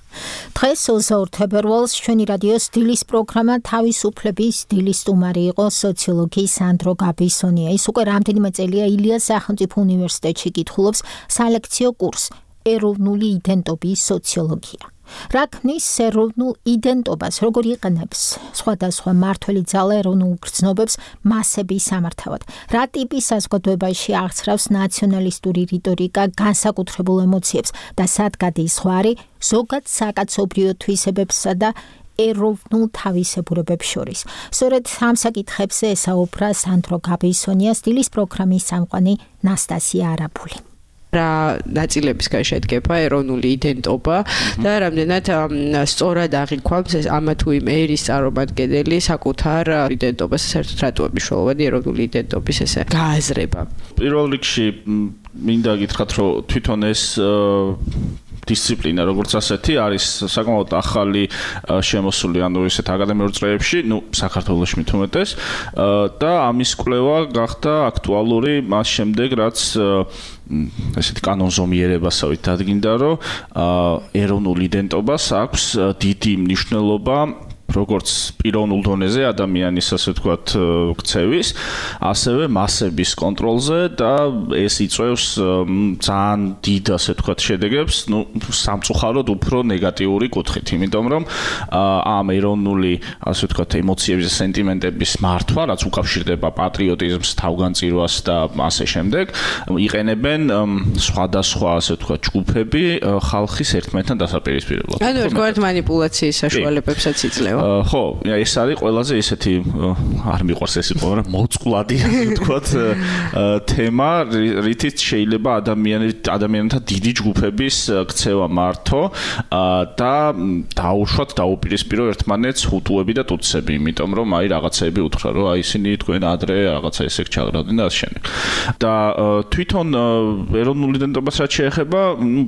დღეს 22 თებერვალს ჩვენი რადიოს დილის პროგრამა თავისუფლების დილის სტუმარი იყო სოციოლოგი სანდრო გაბისონია. ის უკვე რამდენიმე წელია ილიას სახელმწიფო უნივერსიტეტში კითხულობს სალექციო კურსს ეროვნული იდენტობის სოციოლოგია. რა ქმნის ეროვნულ იდენტობას, როგორ იყენებს სხვადასხვა მმართველი ძალა ეროვნულ გრძნობებს მასების სამართავად, რა ტიპის საზოგადოებაში აღწრავს ნაციონალისტური რიტორიკა განსაკუთრებულ ემოციებს და სად გადის ზღვარი ზოგად საკაცობრიო თვისებებსა და ეროვნულ თავისებურებებს შორის. სწორედ ამ საკითხებზე ესაუბრა სანდრო გაბისონიას დილის პროგრამის წამყვანი ნასტასია არაბული. რა ნაწილებისგან შედგება ეროვნული იდენტობა და რამდენად სწორად აღიქვამს ამა თუ იმ ერის წარმომადგენელი საკუთარ იდენტობას, საერთოდ რატოა მნიშვნელოვანი ეროვნული იდენტობის ესე გააზრება. პირველ რიგში მინდა გითხრათ, რომ თვითონ ეს დისციპლინა როგორც ასეთი არის საკმაოდ ახალი შემოსული, ანუ ესეთ აკადემიურ წრეებში, საქართველოში მით უმეტეს და ამის კვლევა გახდა აქტუალური მას შემდეგ, რაც ესეთი კანონზომიერებასავით დადგინდა, რომ ეროვნულ იდენტობას აქვს დიდი მნიშვნელობა როგორც პიროვნულ დონეზე ადამიანის ასე ვთქვათ ქცევის, ასევე მასების კონტროლზე და ეს იწვევს ძალიან დიდ ასე ვთქვათ შედეგებს, სამწუხაროდ უფრო ნეგატიური კუთხით, იმიტომ რომ ამ ეროვნული ასე ვთქვათ ემოციების და სენტიმენტების მართვა, რაც უკავშირდება პატრიოტიზმს, თავგანწირვას და ასე შემდეგ, იყენებენ სხვადასხვა ასე ვთქვათ ჯგუფები ხალხის ერთმანეთთან დასაპირისპირებლად. ანუ ერთგვარად მანიპულაციის საშუალებებსაც იძლევა. ხო, ეს არის ყველაზე ესეთი არ მიყვარს ეს იყო, მაგრამ მოწყვლადი ვთქვათ თემა, რითიც შეიძლება ადამიანთა დიდი ჯგუფების ქცევა მართო და დაუშვათ, დაუპირისპირო ერთმანეთს ჰუტუები და ტუტსები, იმიტომ რომ აი რაღაცები უთხრა, რომ აი ისინი თქვენ ადრე რაღაცა ისე ჩაღრავდნენ და ასე შემდეგ. და თვითონ ეროვნული იდენტობას რაც შეეხება,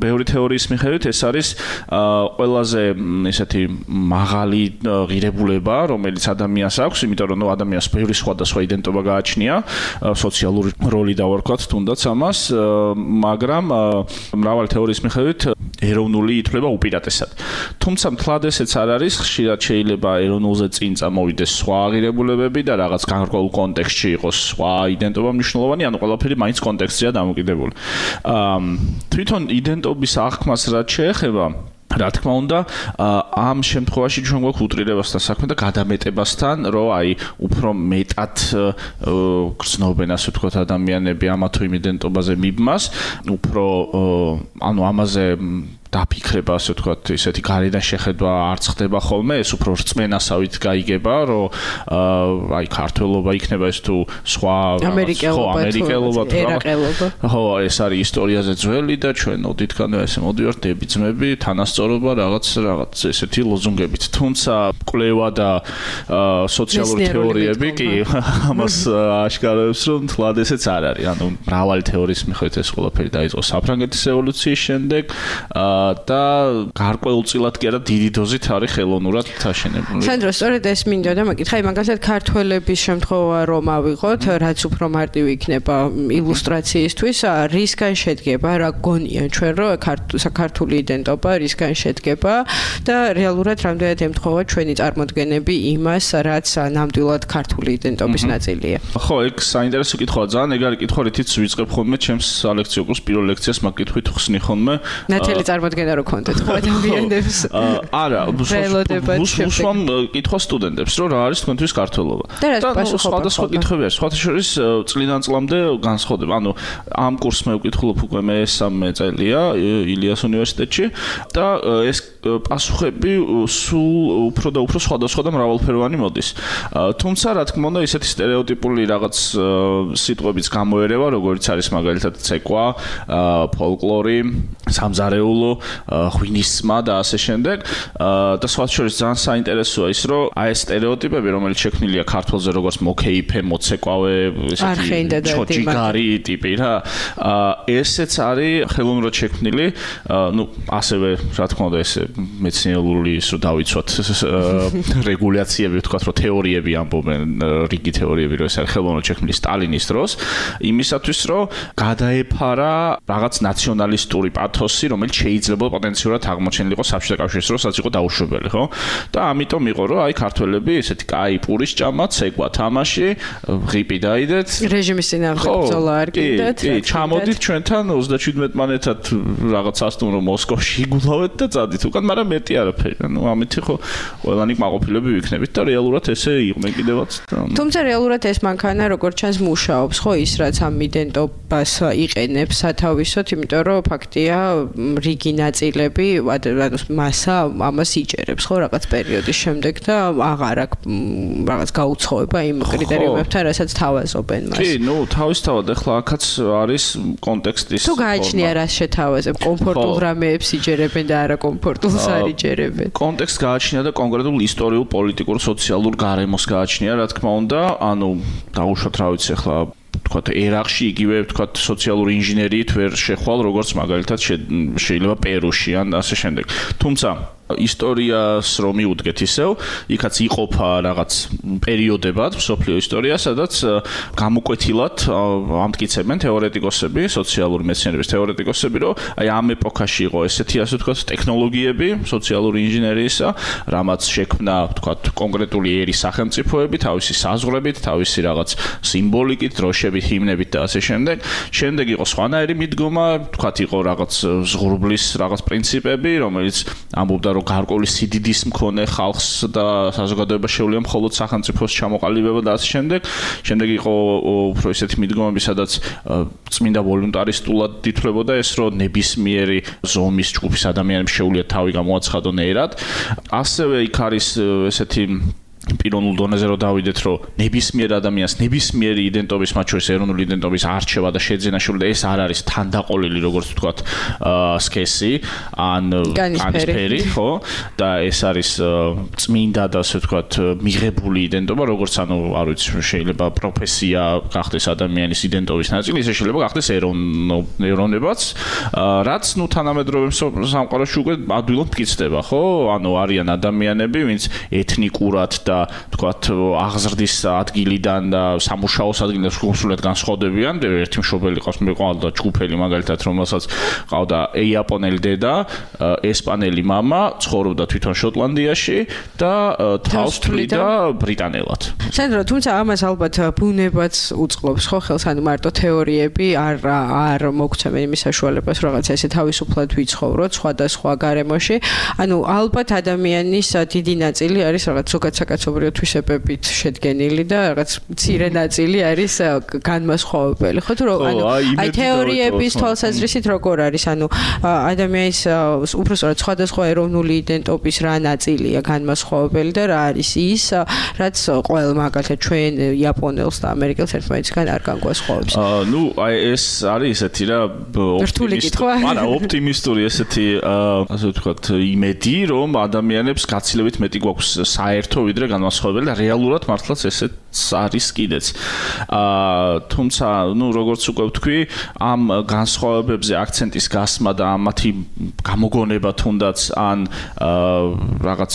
ბევრი თეორიის მიხედვით ეს არის ყველაზე ესეთი მაღალი ღირებულება, რომელიც ადამიანს აქვს, იმიტომ რომ ადამიანს ბევრი სხვადასხვა იდენტობა გააჩნია, სოციალური როლი დავარქვათ თუნდაც ამას, მაგრამ მრავალი თეორიის მიხედვით ეროვნული ითვლება უპირატესად. თუმცა მთლად ესეც არ არის, ხშირად შეიძლება ეროვნულზე წინ წამოვიდეს სხვა ღირებულებები და რაღაც განსხვავებულ კონტექსტში იყოს სხვა იდენტობა მნიშვნელოვანი, ანუ ყველაფერი მაინც კონტექსტზეა დამოკიდებული. თვითონ იდენტობის აღქმას რაც შეეხება, რა თქმა უნდა, ამ შემთხვევაში ჩვენ გვაქვს უტრირებასთან საქმე და გადამეტებასთან, რომ აი უფრო მეტად გრძნობენ ასე ვთქვათ ადამიანები ამა თუ იმ იდენტობაზე მიბმას, უფრო ანუ ამაზე დაფიქრება, ასე ვთქვათ, ისეთი გარედან შეხედვა არ ხდება ხოლმე, ეს უფრო რწმენასავით გაიგება, რომ აი ქართველობა იქნება ეს თუ სხვა ამერიკელობა თუ ერაყელობა. ხო, ეს არის ისტორიაზე ძველი და ჩვენ ოდითგანვე ესე მოდივართ დებიძმები, თანასწორობა რაღაც ესეთი ლოზუნგებით. თუმცა კვლევა და სოციალური თეორიები კი ამას აშკარებს, რომ თლად ესეც არ არის. ანუ მრავალი თეორიის მიხედვით ეს ყველაფერი დაიწყო საფრანგეთის რევოლუციის შემდეგ და გარკვეულწილად კი არა დიდი დოზით არის ხელოვნურად აშენებული. სანდრო, სწორედ ეს მინდოდა მეკითხა, მაგალითად ქართველების შემთხვევა რომ ავიღოთ, რაც უფრო მარტივი იქნება ილუსტრაციისთვის, რისგან შედგება, რა გონია ჩვენ, რომ საქართველოს იდენტობა რისგან შედგება და რეალურად რამდენად ემთხვევა ჩვენი წარმოდგენები იმას, რაც ნამდვილად ქართული იდენტობის ნაწილია. ხო, ეგ საინტერესო კითხვაა, ძალიან ეგ არის კითხვა, რითიც ვიწყებ ხოლმე ჩემს სალექციო კურსს პირველ ლექციას მაგ კითხვით ხსნი ხოლმე. ნათელი წარმოდგენები წარმოადგენა რო კონტენტ ხო ადამიანებს. არა, უსვამ კითხვა სტუდენტებს, რომ რა არის თქვენთვის ქართველობა. და სხვადასხვა კითხვები არის, სხვათა შორის წლიდან წლამდე განსხვავდება. ანუ ამ კურსს მე ვკითხულობ უკვე მე-3 წელია ილიას უნივერსიტეტში და ეს პასუხები სულ უფრო და უფრო სხვადასხვა და მრავალფეროვანი მოდის. თუმცა რა თქმა უნდა ისეთი სტერეოტიპული რაღაც სიტყვებიც გამოერევა, როგორც არის მაგალითად ცეკვა, ფოლკლორი, სამზარეულო, ღვინისმა და ასე შემდეგ. და სხვათა შორის ძალიან საინტერესოა ის, რომ აი ეს სტერეოტიპები, რომელიც შექმნილია ქართველზე როგორც მოკეიფე, მოცეკვავე, ესეთი ჩოჯიგარი ტიპი რა, ესეც არის ხელოვნურად შექმნილი, ну, ასევე რა თქმა უნდა ეს მეცნიერული ის რომ დავიცვათ რეგულაციები, ვთქვათ, რომ თეორიები ამბობენ, რიგი თეორიები, რომ ეს არის ხელოვნურად შექმნილი სტალინის დროს, იმისათვის, რომ გადაეფარა რაღაც ნაციონალისტური პათოსი, რომელიც შეიძლება პოტენციურად აღმოჩენილიყო საბჭოთა კავშირის დროს, რაც იყო დაუშვებელი, ხო? და ამიტომ იყო, რომ აი ქართველები ესეთი კაი პურის ჭამა, ცეკვა, თამაში, ღიპი დაიდეთ. რეჟიმის წინააღმდეგ ბრძოლა არ კიდეთ. კი, ჩამოდით ჩვენთან 37 მანეთად რაღაც სასტუმრო მოსკოვში იგულავეთ და წადით უკან, მაგრამ მეტი არაფერი. ანუ ამით ხო ყველანი კმაყოფილები ვიქნებით და რეალურად ესე იყვნენ კიდევაც. თუმცა რეალურად ეს მანქანა როგორც ჩანს მუშაობს, ხო, ის რაც ამ იდენტობას იყენებს სათავისოდ, იმიტომ რომ ფაქტია რიგი ნაწილები, ანუ მასა ამას იჭერებს, ხო, რაღაც პერიოდის შემდეგ და აღარ აქვს რაღაც გაუცხოება იმ კრიტერიუმებთან, რასაც თავაზობენ მას. კი, ну, თავისთავად ახლა აქაც არის კონტექსტის. თუ გააჩნია რა შეთავაზებ, კომფორტულ რამეებს იჭერებენ და არა კომფორტულს არ იჭერებენ. კონტექსტ გააჩნია და კონკრეტულ ისტორიულ, პოლიტიკურ, სოციალურ გარემოს გააჩნია, რა თქმა უნდა, ანუ დაუშვათ რა ვიცი ახლა ვთქვათ, ერაყში იგივე ვთქვათ სოციალური ინჟინერიით ვერ შეხვალ, როგორც მაგალითად შეიძლება პერუში ან ასე შემდეგ. თუმცა ისტორიას რომ მიუდგეთ ისევ, იქაც იყოფა რაღაც პერიოდებად მსოფლიო ისტორია, სადაც გამოკვეთილად ამტკიცებენ თეორეტიკოსები, სოციალური მეცნიერების თეორეტიკოსები, რომ აი ამ ეპოქაში იყო ესეთი ასე ვთქვათ ტექნოლოგიები, სოციალური ინჟინერიისა, რამაც შექმნა ვთქვათ კონკრეტული ერის სახელმწიფოები, თავისი საზღვრებით, თავისი რაღაც სიმბოლიკით, დროშებით, ჰიმნებით და ასე შემდეგ. შემდეგ იყო სხვანაირი მიდგომა, ვთქვათ იყო რაღაც ზღურბლის რაღაც პრინციპები, რომელიც ამბობდა რომ გარკვეული სიდიდის მქონე ხალხს და საზოგადოებას შეუძლია მხოლოდ სახელმწიფოს ჩამოყალიბება და ასე შემდეგ. შემდეგ იყო უფრო ისეთი მიდგომები, სადაც წმინდა ვოლუნტარისტულად ითვლებოდა ეს, რომ ნებისმიერი ზომის ჯგუფის ადამიანებს შეუძლია თავი გამოაცხადონ ერად. ასევე იქ არის ესეთი პიროვნულ დონეზე რომ დავიდეთ, რომ ნებისმიერ ადამიანს ნებისმიერი იდენტობის, მათ შორის ეროვნული იდენტობის არჩევა და შეძენა შეუძლია, ეს არ არის თანდაყოლილი, როგორც ვთქვათ, სქესი ან განისფერი, ხო? და ეს არის წმინდა და ასე ვთქვათ, მიღებული იდენტობა, როგორც ანუ, არ ვიცი, შეიძლება პროფესია გახდეს ადამიანის იდენტობის ნაწილი, ისე შეიძლება გახდეს ეროვნებაც, რაც ნუ თანამედროვე სამყაროში უკვე ადვილად მტკიცდება, ხო? ანუ არიან ადამიანები, ვინც ეთნიკურად და თქვათ აღზრდის ადგილიდან და სამუშაოს ადგილიდან სრულიად განსხვავდებიან. ერთი მშობელი ყავს, მე ყავდა ჯგუფელი მაგალითად, რომელსაც ყავდა იაპონელი დედა, ესპანელი მამა, ცხოვრობდა თვითონ შოტლანდიაში და თავს თვლიდა ბრიტანელად. სანდრო, თუმცა ამას ალბათ ბუნებაც უწყობს, ხო, ხელს, ანუ მარტო თეორიები არ მოგცემენ იმის საშუალებას, რაღაც ესე თავისუფლად ვიცხოვროთ სხვადასხვა გარემოში. ანუ ალბათ ადამიანის დიდი ნაწილი არის რაღაც ზოგადად საკაცობრიო თვისებებით შედგენილი და რაღაც მცირე ნაწილი არის განმასხვავებელი. ხო თუ ანუ აი თეორიების თვალსაზრისით როგორ არის? ანუ ადამიანის უბრალოდ სხვადასხვა ეროვნული იდენტობის რა ნაწილია განმასხვავებელი და რა არის ის, რაც ყოველ მაგალითად ჩვენ იაპონელს და ამერიკელს ერთმანეთისგან არ განგვასხვავებს. ნუ აი ეს არის ესეთი რა ოპტიმისტური ესეთი ასე ვთქვათ იმედი, რომ ადამიანებს გაცილებით მეტი გვაქვს საერთო ვიდრე განმასხვავებელი და რეალურად მართლაც ესეც არის კიდეც. თუმცა, ნუ როგორც უკვე ვთქვი, ამ განსხვავებებზე აქცენტის გასმა და ამათი გამოგონება თუნდაც ან რაღაც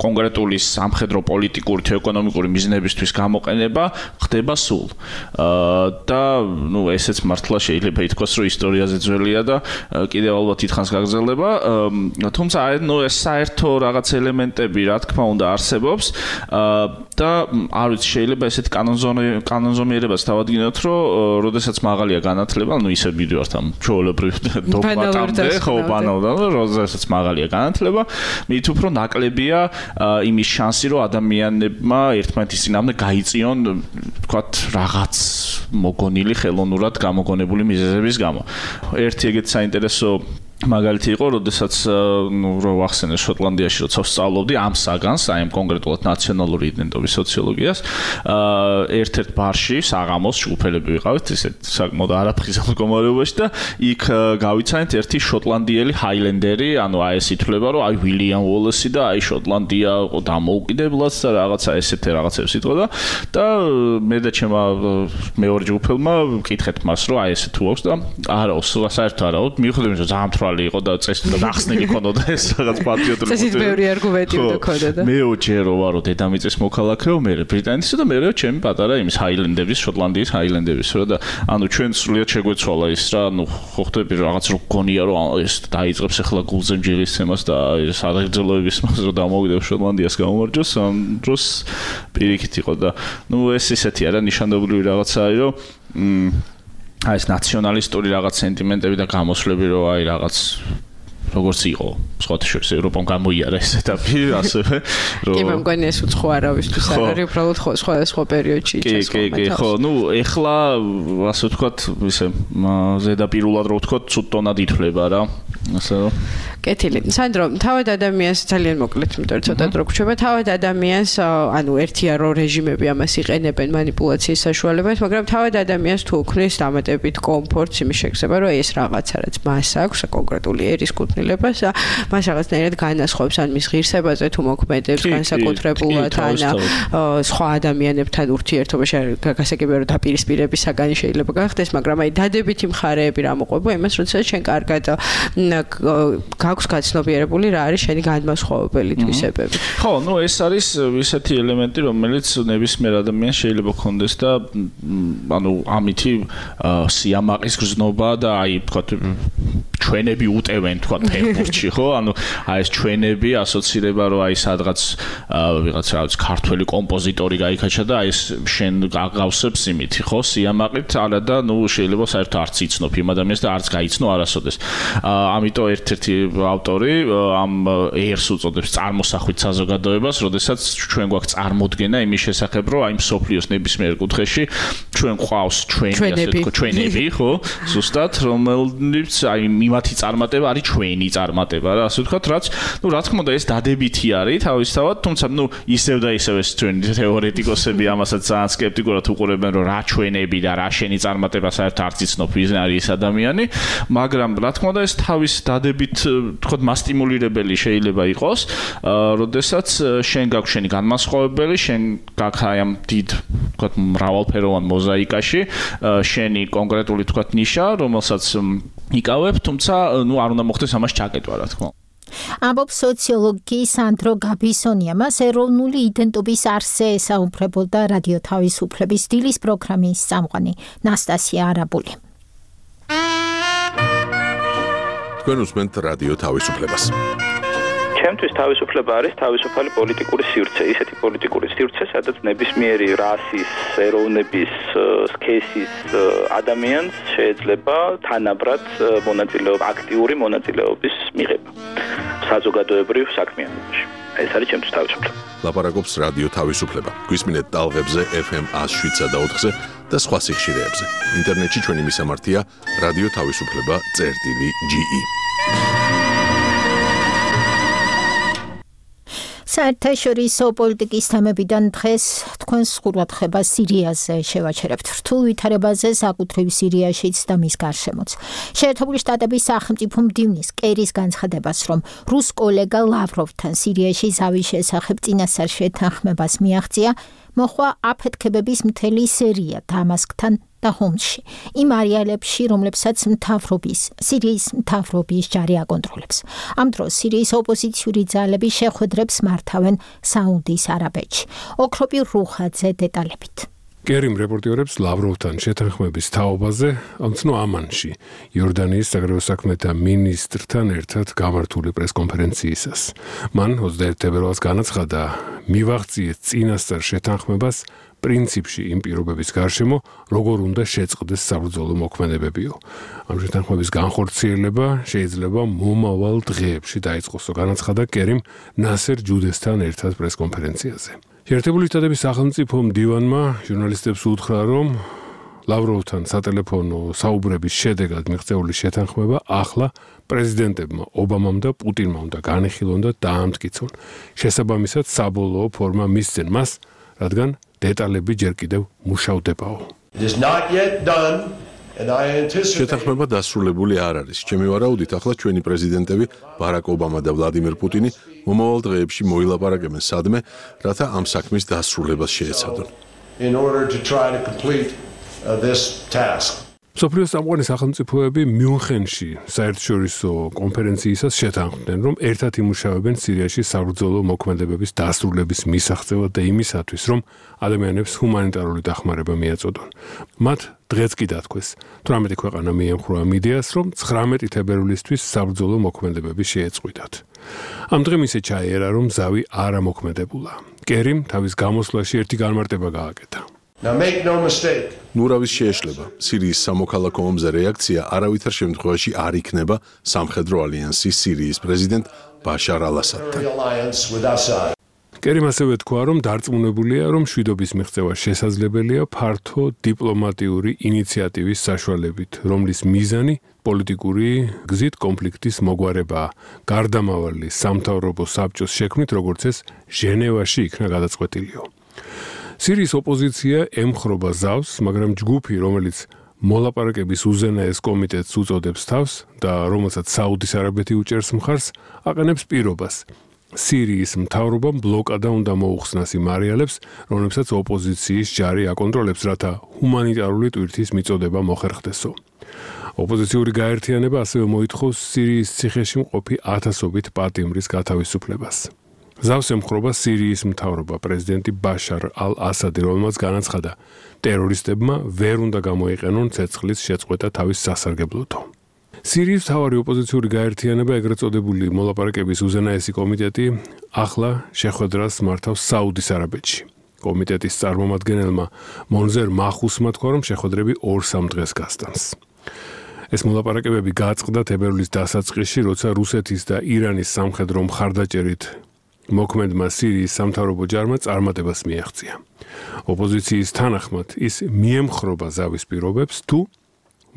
კონკრეტული სამხედრო პოლიტიკური თუ ეკონომიკური მიზნებისთვის გამოყენება ხდება სულ. და ნუ ესეც მართლა შეიძლება ითქვას, რომ ისტორიაზე ძველია და კიდევ ალბათ ითხოვს გაგრძელება. თუმცა, ნუ ეს საერთო რაღაც ელემენტები, რა თქმა უნდა, არსებობს და არ ვიცი შეიძლება ესეთი კანონზომიერებას დავადგინოთ, რომ როდესაც მაღალია განათლება, ანუ ისე მივიდივართ ამ ჩვეულებრივ დოგმატამდე, ხო, ბანალურად, როდესაც მაღალია განათლება, მით უფრო ნაკლებია იმის შანსი, რომ ადამიანებმა ერთმანეთის წინააღმდეგ გაიწიონ, ვთქვათ, რაღაც მოგონილი ხელოვნურად გამოგონებული მიზეზების გამო. ერთი ეგეთი საინტერესო მაგალითი იყო, როდესაც რო ვახსენე შოტლანდიაში როცა ვსწავლობდი ამ საგანს, აი ამ კონკრეტულად ნაციონალური იდენტობის სოციოლოგიას, ერთ-ერთ ბარში საღამოს ჯგუფელები ვიყავით, ისე საკმაოდ არაფრთხილ მდგომარეობაში და იქ გავიცანით ერთი შოტლანდიელი ჰაილენდერი, ანუ აი ეს ითვლება, რომ აი უილიამ უოლესი და აი შოტლანდია დამოუკიდებლად და რაღაცა ესეთი რაღაცებს იტყოდა და მე და ჩემმა მეორე ჯგუფელმა ვკითხეთ მას, რომ აი ესე თუ აქვს და არა, საერთოდ არა, მივხვდები რომ ძალიან იყო და წესი და ახსნილი ქონოდა ეს რაღაც პატრიოტული წესით ბევრი არგუმენტი უნდა ქონოდა და მე უჯერო ვარო დედამიწის მოქალაქეო, მე ბრიტანეთის და მე ჩემი პატარა იმის ჰაილენდების, შოტლანდიის ჰაილენდების რა და ანუ ჩვენ სრულიად შეგვეცვალა ის რა, ანუ ხო ხდები რაღაც რო გონია რომ ეს დაიწყებს ახლა გულზე მჯერისცემას და ეს აღერძელოების მას რომ დამოვიდებ შოტლანდიას გამომარჯოს, ამ დროს პირიქით იყო და ნუ ეს ისეთი არა ნიშანდობლივი რაღაცაა, რომ აი ეს ნაციონალისტური რაღაც სენტიმენტები და გამოსვლები რომ აი რაღაც როგორც იყო სხვათა შორის ევროპამ გამოიარა ეს ეტაპი ასევე რომ კი მე მგონი ეს უცხო არავისთვის არ არის უბრალოდ სხვა პერიოდში კი ხო ნუ ეხლა ასე ვთქვათ ისე ზედაპირულად რო ვთქვათ ცუდ ტონად ითვლება რა ასე რომ კეთილი სანდრო თავად ადამიანს ძალიან მოკლედ იმიტომ რომ ცოტა დრო გვჩება თავად ადამიანს ანუ ერთია რომ რეჟიმები ამას იყენებენ манипуляციის საშუალებად მაგრამ თავად ადამიანს თუ უქმნის დამატებით კომფორტს იმის შეგრძნება რომ ეს რაღაცა რაც მას აქვს კონკრეტული ერის კუთვნილებას მას რაღაცნაირად განასხვავებს ან მის ღირსებაზე თუ მოქმედებს განსაკუთრებულად ან სხვა ადამიანებთან ურთიერთობაში გასაგებია რომ დაპირისპირების საგანი შეიძლება გახდეს მაგრამ აი დადებითი მხარეები რა მოყვება იმას როდესაც შენ კარგად გაქვს გაცნობიერებული რა არის შენი განმასხვავებელი თვისებები. ხო, ნუ ეს არის ისეთი ელემენტი, რომელიც ნებისმიერ ადამიანს შეიძლება ქონდეს და ანუ ამითი სიამაყის გრძნობა და აი თქვა ჩვენები უტევენ თქვა ფეხბურთში, ხო? ანუ აი ეს ჩვენები ასოცირება რომ აი სადღაც ვიღაც რა ვიცი ქართველი კომპოზიტორი გაიქაჩა და აი ეს შენ გაგავსებს იმითი, ხო? სიამაყით არა და ნუ შეიძლება საერთოდ არც იცნობ იმ ადამიანს და არც გაიცნო არასოდეს. ამიტომ ერთ-ერთი ავტორი ამ ერს უწოდებს წარმოსახვით საზოგადოებას, როდესაც ჩვენ გვაქვს წარმოდგენა იმის შესახებ, რომ აი მსოფლიოს ნებისმიერ კუთხეში ჩვენ ყავს ჩვენები, ხო? ზუსტად, რომელიც აი მათი წარმატება არის ჩვენი წარმატება რა, ასე ვთქვათ, რაც, ნუ რა თქმა უნდა ეს დადებითი არის თავისთავად, თუმცა ნუ ისევ და ისევ ეს ჩვენი თეორეტიკოსები ამასაც ძალიან სკეპტიკურად უყურებენ, რომ რა ჩვენები და რა შენი წარმატება საერთოდ არც იცნობ ის არის ეს ადამიანი, მაგრამ რა თქმა უნდა ეს თავის დადებით თქოთ მასტიმულირებელი შეიძლება იყოს, როდესაც შენ გაქვს შენი განმასხვავებელი, შენ გაქვს აი ამ დიდ თქოთ მრავალფეროვან მოზაიკაში შენი კონკრეტული თქოთ ნიშა, რომელსაც იკავებ, თუმცა ნუ არ უნდა მოხდეს ამას ჩაკეტვა რა თქმა უნდა. ამბობს სოციოლოგი სანდრო გაბისონია, მას ეროვნული იდენტობის არსზე ესაუბრებოდა რადიო თავისუფლების დილის პროგრამის წამყვანი ნასტასია არაბული. თქვენ უსმენთ რადიო თავისუფლებას. ჩემთვის თავისუფლება არის თავისუფალი პოლიტიკური სივრცე, ისეთი პოლიტიკური სივრცე, სადაც ნებისმიერი რასის, ეროვნების, სქესის ადამიანს შეიძლება თანაბრად აქტიური მონაწილეობის მიღება საზოგადოებრივ საქმიანობაში. ეს არის ჩემთვის თავისუფლება. ლაპარაკობს რადიო თავისუფლება. გვისმინეთ ტალღებზე FM 107 და 4-ზე და სხვა სიხშირეებზე. ინტერნეტში ჩვენი მისამართია რადიო თავისუფლება.ge. საერთაშორისო პოლიტიკის თემებიდან დღეს თქვენს ყურადღებას სირიაზე შევაჩერებთ. რთულ ვითარებაზე საკუთრივ სირიაშიც და მის გარშემოც. შეერთებული შტატების სახელმწიფო მდივნის კერის განცხადებას, რომ რუს კოლეგა ლავროვთან სირიაში ზავის შესახებ წინასწარ შეთანხმებას მიაღწია, მოხვა აფეთქებების მთელი სერია დამასკთან და ჰომსში. იმ არეალებში, რომლებსაც სირიის მთავრობის ჯარი აკონტროლებს. ამ დროს სირიის ოპოზიციური ძალები შეხვედრებს მართავენ საუდის არაბეთში. ოქროპირ რუხაძე დეტალებით. კერიმ რეპორტიორებს ლავროვთან შეთანხმების თაობაზე ამცნო ამანში იორდანიის საგარეო საქმეთა მინისტრთან ერთად გამართული პრესკონფერენციისას. მან 21 თებერვალს განაცხადა, მივაღწიეთ წინასწარ შეთანხმებას პრინციპში იმ პირობების გარშემო, როგორ უნდა შეწყდეს საბრძოლო მოქმედებებიო. ამ შეთანხმების განხორციელება შეიძლება მომავალ დღეებში დაიწყოსო, განაცხადა კერიმ ნასერ ჯუდესთან ერთად პრესკონფერენციაზე. შეერთებული შტატების სახელმწიფო მდივანმა ჟურნალისტებს უთხრა, რომ ლავროვთან სატელეფონო საუბრების შედეგად მიღწეული შეთანხმება ახლა პრეზიდენტებმა ობამამ და პუტინმა უნდა განიხილონ და დაამტკიცონ. შესაბამისად საბოლოო ფორმა მისცენ მას, რადგან დეტალები ჯერ კიდევ მუშავდებაო. შეთანხმება დასრულებული არ არის. ჩემი ვარაუდით, ახლა ჩვენი პრეზიდენტები ბარაკ ობამა და ვლადიმერ პუტინი მომავალ დღეებში მოილაპარაკებენ სადმე, რათა ამ საქმის დასრულებას შეეცადონ. მსოფლიოს წამყვანი სახელმწიფოები მიუნხენში საერთაშორისო კონფერენციისას შეთანხმდნენ, რომ ერთად იმუშავებენ სირიაში საბრძოლო მოქმედებების დასრულების მისაღწევად და იმისათვის, რომ ადამიანებს ჰუმანიტარული დახმარება მიაწოდონ. მათ დღეც კი დათქვეს, 18 ქვეყანა მიემხრა ამ იდეას, რომ 19 თებერვლისთვის საბრძოლო მოქმედებები შეეწყვიტათ. ამ დღემ ისე ჩაიერა, რომ ზავი არ ამოქმედებულა. კერიმ თავის გამოსვლაში ერთი განმარტება გააკეთა. ნურავის შეეშლება, სირიის სამოქალაქო ომზე რეაქცია არავითარ შემთხვევაში არ იქნება სამხედრო ალიანსის სირიის პრეზიდენტ ბაშარ ალ-ასადთან. კერიმ ასევე თქვა, რომ დარწმუნებულია, რომ მშვიდობის მიღწევა შესაძლებელია ფართო დიპლომატიური ინიციატივის საშუალებით, რომლის მიზანი პოლიტიკური გზით კონფლიქტის მოგვარებაა, გარდამავალი სამთავრობო საბჭოს შექმნით, როგორც ეს ჟენევაში იქნა გადაწყვეტილიო. სირიის ოპოზიცია ემხრობა ზავს, მაგრამ ჯგუფი, რომელიც მოლაპარაკების უზენაეს კომიტეტს უწოდებს თავს და რომელსაც საუდის არაბეთი უჭერს მხარს, აყენებს პირობას. სირიის მთავრობამ ბლოკადა უნდა მოუხსნას იმ არეალებს, რომლებსაც ოპოზიციის ჯარი აკონტროლებს, რათა ჰუმანიტარული ტვირთის მიწოდება მოხერხდესო. ოპოზიციური გაერთიანება ასევე მოითხოვს სირიის ციხეში მყოფი ათასობით პატიმრის გათავისუფლებას. ზავს ემხრობა სირიის მთავრობა პრეზიდენტი ბაშარ ალ-ასადი, რომელმაც განაცხადა, ტერორისტებმა ვერ უნდა გამოიყენონ ცეცხლის შეწყვეტა თავის სასარგებლოთო. სირიის მთავარი ოპოზიციური გაერთიანება, ეგრეთ წოდებული მოლაპარაკების უზენაესი კომიტეტი, ახლა შეხვედრას მართავს საუდის არაბეთში. კომიტეტის წარმომადგენელმა მონზერ მაჰუსმა თქვა, რომ შეხვედრები 2-3 დღეს გასტანს. ეს მოლაპარაკებები გაწყდა თებერვლის დასაწყისში, როცა რუსეთის და ირანის სამხედრო მხარდაჭერით მოქმედმა სირიის სამთავრობო ჯარმა წარმატებას მიაღწია. ოპოზიციის თანახმად ის მიემხრობა ზავის პირობებს, თუ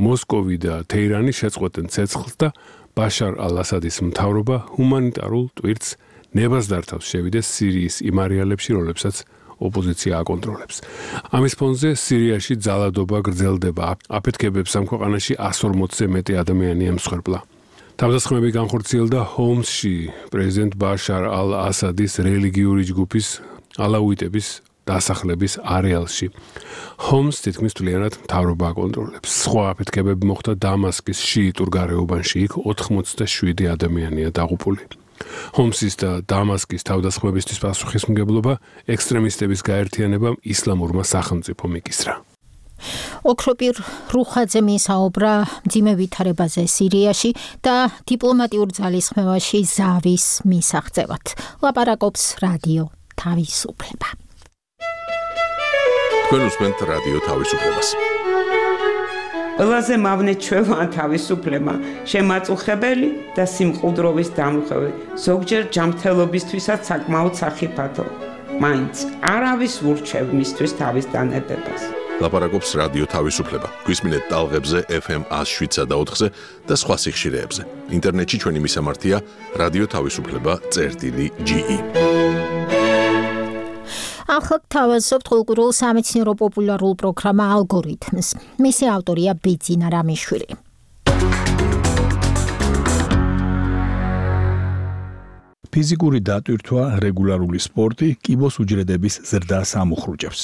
მოსკოვი და თეირანი შეწყვეტენ ცეცხლს და ბაშარ ალ-ასადის მთავრობა ჰუმანიტარულ ტვირთს ნებას დართავს შევიდეს სირიის იმ არეალებში, რომლებსაც ოპოზიცია აკონტროლებს. ამის ფონზე სირიაში ძალადობა გრძელდება. აფეთქებებს ამ ქვეყანაში 140-ზე მეტი ადამიანი ემსხვერპლა. თავდასხმები განხორციელდა ჰომსში პრეზიდენტ ბაშარ ალ-ასადის რელიგიური ჯგუფის ალაუიტების დასახლების არეალში. ჰომს თითქმის მთლიანად მთავრობა აკონტროლებს. სხვა აფეთქებები მოხდა დამასკის შიიტურ გარეუბანში, იქ 87 ადამიანია დაღუპული. ჰომსის და დამასკის თავდასხმებისთვის პასუხისმგებლობა ექსტრემისტების გაერთიანებამ ისლამურმა სახელმწიფომ იკისრა. ოქროპირ რუხაძე მისაუბრა მძიმე ვითარებაზე სირიაში და დიპლომატიურ ძალისხმევაში ზავის მისაღწევად. ლაპარაკობს რადიო თავისუფლება. თქვენ უსმენთ რადიო თავისუფლებას. ყველაზე მავნე ჩვევა თავისუფლება, შემაწუხებელი და სიმყუდროვის დამხევი, ზოგჯერ ჯანმრთელობისთვისაც საკმაოდ სახიფათო. მაინც არავის ურჩევ მისთვის თავის დანებებას. ლაპარაკობს რადიო თავისუფლება. გვისმინეთ ტალღებზე FM 107.4-ზე და სხვა სიხშირეებზე. ინტერნეტში ჩვენი მისამართია რადიო თავისუფლება.ge. ახლა თავაზობთ კულტურულ სამეცნიერო პოპულარულ პროგრამა ალგორითმს. მისი ავტორია ბიძინა რამიშვილი. ფიზიკური დატვირთვა, რეგულარული სპორტი კიბოს უჯრედების ზრდას ამუხრუჭებს.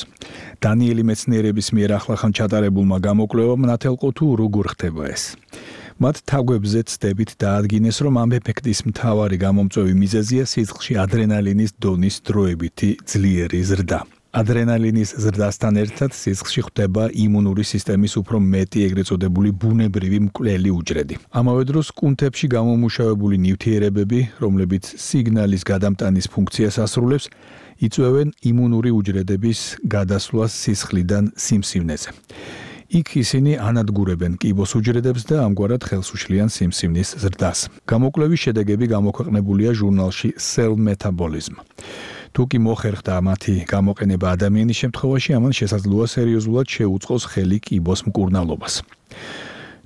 დანიელი მეცნიერების მიერ ახლახან ჩატარებულმა გამოკვლევამ ნათელყო თუ როგორ ხდება ეს. მათ თაგვებზე ცდებით დაადგინეს, რომ ამ ეფექტის მთავარი გამომწვევი მიზეზია სისხლში ადრენალინის დონის დროებითი ძლიერი ზრდა. ადრენალინის ზრდასთან ერთად სისხლში ხდება იმუნური სისტემის უფრო მეტი ეგრეთ წოდებული ბუნებრივი მკვლელი უჯრედი. ამავე დროს კუნთებში გამომუშავებული ნივთიერებები, რომლებიც სიგნალის გადამტანის ფუნქციას ასრულებს, იწვევენ იმუნური უჯრედების გადასვლას სისხლიდან სიმსივნეზე. იქ ისინი ანადგურებენ კიბოს უჯრედებს და ამგვარად ხელს უშლიან სიმსივნის ზრდას. გამოკვლევის შედეგები გამოქვეყნებულია ჟურნალში Cell Metabolism. თუ კი მოხერხდა მათი გამოყენება ადამიანის შემთხვევაში, ამან შესაძლოა სერიოზულად შეუწყოს ხელი კიბოს მკურნალობას.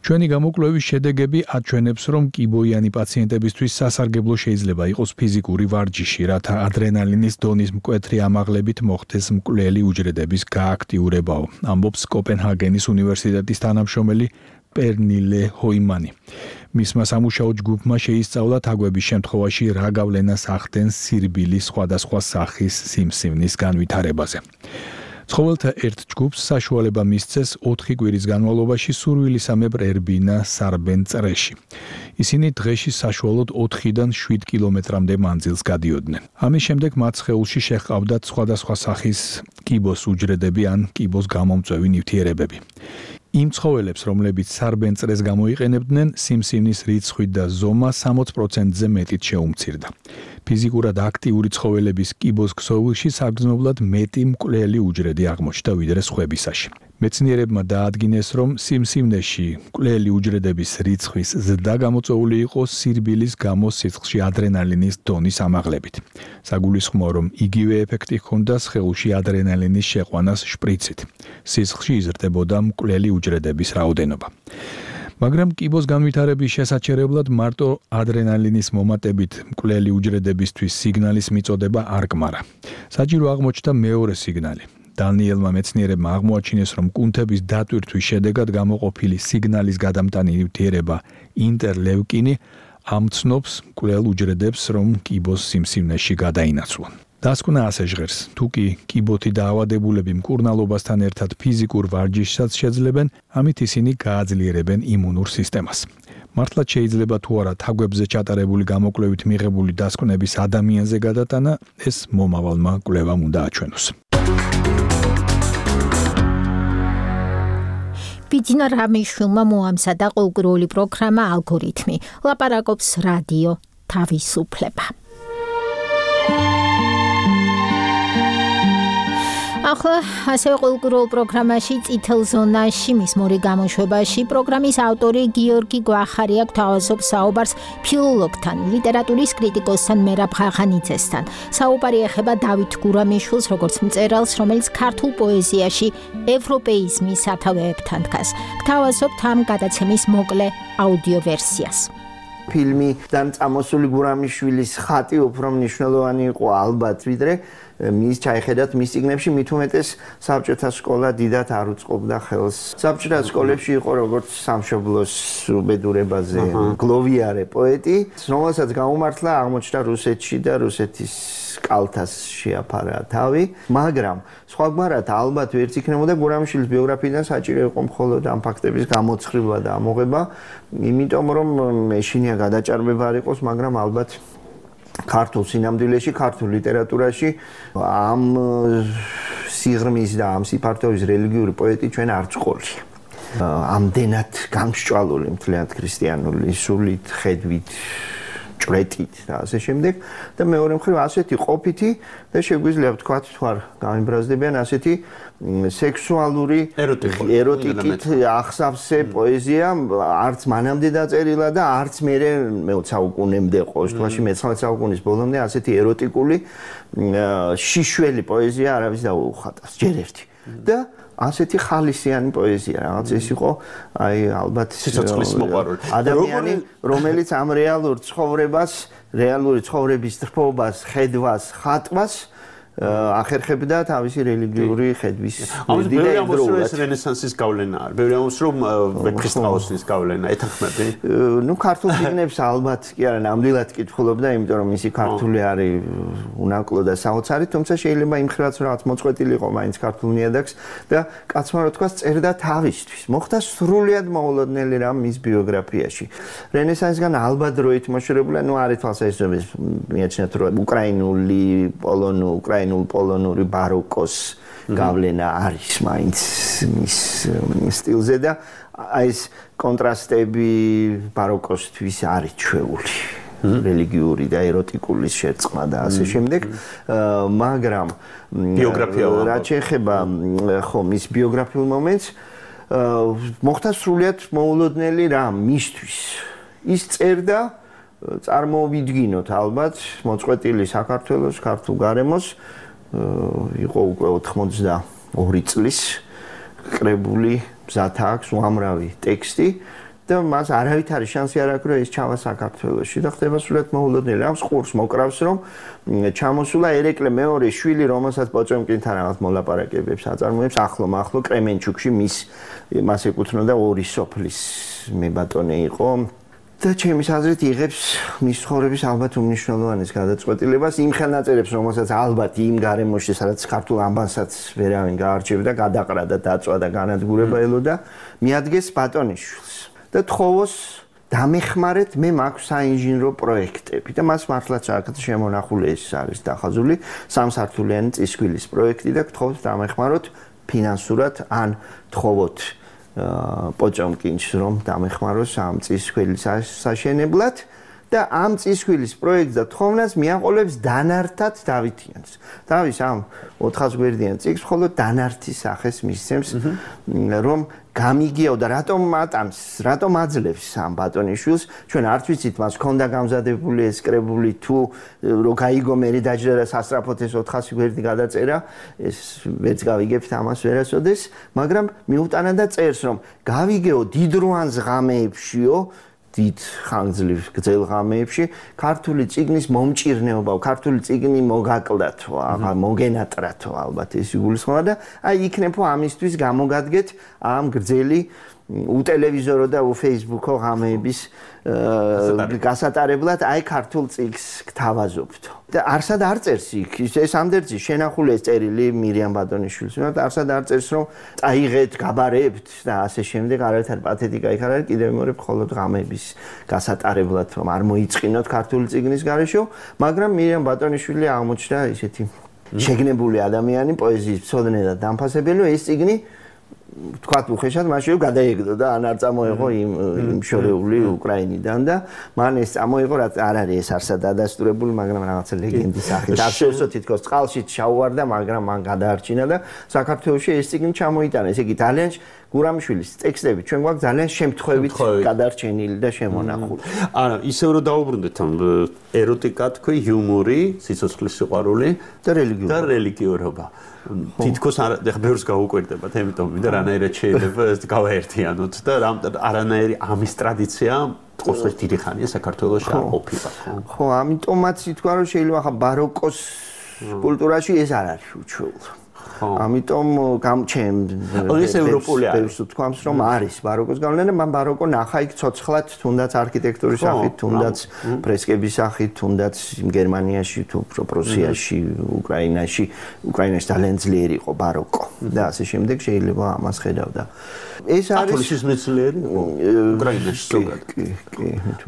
ჩვენი გამოკვლევის შედეგები აჩვენებს, რომ კიბოიანი პაციენტებისთვის სასარგებლო შეიძლება იყოს ფიზიკური ვარჯიში, რათა ადრენალინის დონის მკვეთრი ამაღლებით მოხდეს მკვლელი უჯრედების გააქტიურებაო, ამბობს კოპენჰაგენის უნივერსიტეტის თანამშრომელი პერნილე ჰოიმანი. მისმა სამუშაო ჯგუფმა შეისწავლა თაგვების შემთხვევაში რა გავლენას ახდენს სირბილის სხვადასხვა სახის სიმსივნის განვითარებაზე. ცხოველთა ერთ ჯგუფს საშუალება მისცეს 4 კვირის განმავლობაში სურვილისამებრ ერბინა სარბენ წრეში. ისინი დღეში საშუალოდ 4-დან 7 კილომეტრამდე მანძილს გადიოდნენ. ამის შემდეგ მათ სხეულში შეჰყავდათ სხვადასხვა სახის კიბოს უჯრედები ან კიბოს გამომწვევი ნივთიერებები. იმ ცხოველებს, რომლებიც სარბენ წრეს გამოიყენებდნენ, სიმსივნის რიცხვი და ზომა 60%-ზე მეტით შეუმცირდა. ფიზიკურად აქტიური ცხოველების კიბოს ქსოვილში საგრძნობლად მეტი მკვლელი უჯრედი აღმოჩნდა ვიდრე სხვებისაში. მეცნიერებმა დაადგინეს, რომ სიმსივნეში მკვლელი უჯრედების რიცხვის ზრდა გამოწვეული იყო სირბილის გამო სისხლში ადრენალინის დონის ამაღლებით. საგულისხმოა, რომ იგივე ეფექტი ჰქონდა სხეულში ადრენალინის შეყვანას შპრიცით. სისხლში იზრდებოდა მკვლელი უჯრედების რაოდენობა. მაგრამ კიბოს განვითარების შესაჩერებლად მარტო ადრენალინის მომატებით მკვლელი უჯრედებისთვის სიგნალის მიწოდება არ კმარა. საჭირო აღმოჩნდა მეორე სიგნალი. დანიელმა მეცნიერებმა აღმოაჩინეს, რომ კუნთების დატვირთვის შედეგად გამოყოფილი სიგნალის გადამტანი ნივთიერება ინტერლევკინი ამცნობს მკვლელ უჯრედებს, რომ კიბოს სიმსივნეში გადაინაცვლონ. დასკვნა ასე ჟღერს, თუ კი კიბოთი დაავადებულები მკურნალობასთან ერთად ფიზიკურ ვარჯიშსაც შეძლებენ, ამით ისინი გააძლიერებენ იმუნურ სისტემას. მართლაც შეიძლება თუ არა თაგვებზე ჩატარებული გამოკვლევით მიღებული დასკვნების ადამიანზე გადატანა, ეს მომავალმა კვლევამ უნდა აჩვენოს. ბიძინა რამიშვილმა მოამზადა ყოველკვირეული პროგრამა ალგორითმი. ლაპარაკობს რადიო თავისუფლება. ახლა ასევე ყოველკვირეულ პროგრამაში წითელ ზონაში მის მორი გამოშვებაში პროგრამის ავტორი გიორგი გვახარია გვთავაზობს საუბარს ფილოლოგთან, ლიტერატურის კრიტიკოსთან მერაბ ხახანიძესთან. საუბარი ეხება დავით გურამიშვილს, როგორც მწერალს, რომელიც ქართულ პოეზიაში ევროპეიზმის სათავეებთან დგას. გვთავაზობთ ამ გადაცემის მოკლე აუდიო ვერსიას. ფილმიდან წამოსული გურამიშვილის ხატი უფრო მნიშვნელოვანი იყო ალბათ ვიდრე მის ჩაიხედათ მის წიგნებში, მით უმეტეს საბჭოთა სკოლა დიდად არ უწყობდა ხელს. საბჭოთა სკოლებში იყო როგორც სამშობლოს უბედურებაზე გლოვიარე პოეტი, რომელსაც გაუმართლა აღმოჩნდა რუსეთში და რუსეთის კალთას შეაფარა თავი, მაგრამ სხვაგვარად ალბათ ვერც იქნებოდა გურამიშვილის ბიოგრაფიიდან საჭირო იყო მხოლოდ ამ ფაქტების გამოცხრიბვა და ამოღება, იმიტომ რომ ეშინია გადაჭარბება არ იყოს, მაგრამ ალბათ ქართულ სინამდვილეში, ქართულ ლიტერატურაში ამ სიღრმის და ამ სიფართოვის რელიგიური პოეტი ჩვენ არ წყოლია. ამდენად გამსჭვალული მთლიანად ქრისტიანული სულით, ხედვით, ჭრეტით და ასე შემდეგ და მეორე მხრივ ასეთი ყოფითი და შეგვიძლია ვთქვათ თუ არ გამიბრაზდებიან ასეთი სექსუალური ეროტიკით ახსავსე პოეზია არც მანამდე დაწერილა და არც მერე მე-20 საუკუნემდე ყოველ შემთხვევაში მე-19 საუკუნის ბოლომდე ასეთი ეროტიკული შიშველი პოეზია არავის დაუხატავს ჯერ ერთი და ასეთი ხალისიანი პოეზია რაღაც ეს იყო აი ალბათ სიცოცხლის მოყვარული ადამიანი რომელიც ამ რეალურ ცხოვრებას რეალური ცხოვრების თრფობას ხედვას ხატვას ახერხებდა თავისი რელიგიური ხედვის ამის რენესანსის გავლენა არის ბევრი ამბობს რომ ქრისტიანობის გავლენა ეთანხმები ნუ ქართულ წიგნებს ალბათ კი არა ნამდვილად კითხულობდა იმიტომ რომ ისი ქართული არის უნაკლო და საოცარი თუმცა შეიძლება იმ ხრივაც რაღაც მოწყვეტილი იყო მაინც ქართულ ნიადაგს და კაცმა რა თქვა წერდა თავისთვის მოხდა სრულიად მოულოდნელი რამ მის ბიოგრაფიაში რენესანსგან ალბათ დროით მოშორებული ნუ არის თვალსაჩინო მიაჩნიათ რომ უკრაინული პოლონური უკრაინულ პოლონური ბაროკოს გავლენა არის მაინც მის სტილზე და აი ეს კონტრასტები ბაროკოსთვის არის ჩვეული რელიგიური და ეროტიკული შერწყმა და ასე შემდეგ მაგრამ რაც ეხება ხო მის ბიოგრაფიულ მომენტს მოხდა სრულიად მოულოდნელი რამ მისთვის ის წერდა წარმოვიდგინოთ ალბათ მოწყვეტილი საქართველოს ქართულ გარემოს იყო უკვე 82 წლის კრებული მზათა აქვს უამრავი ტექსტი და მას არავით არის შანსი არ აქვს რომ ეს ჩავა საქართველოში და ხდება სულად მოულოდნელი ამ ხურს მოკრავს რომ ჩამოსულა ერეკლე მეორე შვილი რომელსაც პოჭომკინთან რაღაც მოლაპარაკებებს აწარმოებს ახლო კრემენჩუკში მას ეკუთვნოდა ორი სოფლის მებატონე იყო და ჩემის აზრით იღებს მის ცხოვრების ალბათ უმნიშვნელოვანეს გადაწყვეტილებას იმ ხელნაწერებს რომელსაც ალბათ იმ გარემოში სადაც ქართულ ამბანსაც ვერავინ გაარჩევდა გადაყრა და დაწვა და განადგურება ელოდა მიადგეს ბატონიშვილს და თხოვოს დამეხმარეთ მე მაქვს საინჟინრო პროექტები და მას მართლაც აქ შემონახული ეს არის დახაზული სამსართულიანი წისქვილის პროექტი და თხოვს დამეხმაროთ ფინანსურად ან თხოვოთ პოჭომკინს რომ დამეხმაროს ამ წისქვილის საშენებლად და ამ წისქვილის პროექტს და თხოვნას მიაყოლებს დანართად დავითიანს. დავის ამ 400 გვერდიან წიგნს მხოლოდ დანართის სახეს მისცემს რომ გამიგიაო და რატომ ატანს, რატომ აძლევს ამ ბატონიშვილს, ჩვენ არც ვიცით მას ქონდა გამზადებული ეს კრებული თუ რო გაიგო მე დაჯდა და სასწრაფოდ ეს 400 გვერდი გადაწერა, ეს ვერც გავიგებთ ამას ვერასოდეს, მაგრამ მიუტანა და წერს რომ გავიგეო დიდროანს ღამეებშიო დიდ ხანგრძლივ გრძელ ღამეებში ქართული წიგნის მომჭირნეობა, ქართული წიგნი მოგაკლდათო, აღარ მოგენატრათო ალბათ ეს იგულისხმება და აი იქნებო ამისთვის გამოგადგეთ ამ გრძელი უტელევიზორო და უფეისბუქო ღამეების გასატარებლად აი ქართულ წიგნს გთავაზობთ. და არსად არ წერს იქ ეს ამდერძი შენახული ეს წერილი მირიამ ბატონიშვილის მიმართ არსად არ წერს რომ წაიღეთ, გაბარებთ და ასე შემდეგ არავით არ პათეტიკა იქ არ არის კიდევ მეორე მხოლოდ ღამეების გასატარებლად რომ არ მოიწყინოთ ქართული წიგნის გარეშე, მაგრამ მირიამ ბატონიშვილი აღმოჩნდა ისეთი შეგნებული ადამიანი, პოეზიის მცოდნე და დამფასებელი, ეს წიგნი თქვათ უხეშად მაშინ გადაეგდო და ან არ წამოიღო იმ შორეული უკრაინიდან და მან ეს წამოიღო რაც არ არის ეს არსად დადასტურებული მაგრამ რაღაცა ლეგენდის სახით აღშევსო თითქოს წყალში ჩაუვარდა მაგრამ მან გადაარჩინა და საქართველოში ეს წიგნი ჩამოიტანა ესე იგი ძალიან გურამიშვილის ტექსტები ჩვენ გვაქვს ძალიან შემთხვევით გადარჩენილი და შემონახული არა ისევ რომ დაუბრუნდეთ ამ ეროტიკა თქვი იუმორი სიცოცხლის სიყვარული და რელიგიურობა თითქოს ახლა ბევრს გაუკვირდებათ ამიტომ ვიდა რანაირად შეიძლება ეს გავაერთიანოთ და არანაირი ამის ტრადიცია ყოველთვის დიდი ხანია საქართველოში არ ყოფილა ხო ამიტომაც ითქვა რომ შეიძლება ახლა ბაროკოს კულტურაში ეს არ არის უჩვეულო ამიტომ გამჩემ ეს ევროპული არის თქვამს რომ არის ბაროკოს გავლენა მან ბაროკო ნახა იქ ცოცხლად თუნდაც არქიტექტურის სახით თუნდაც ფრესკების სახით თუნდაც გერმანიაში თუ პრუსიაში უკრაინაში ძალიან ძლიერი იყო ბაროკო და ასე შემდეგ შეიძლება ამას ხედავდა ეს არის კათოლიციზმის მეცნიერი უკრაინაში ზოგადად კი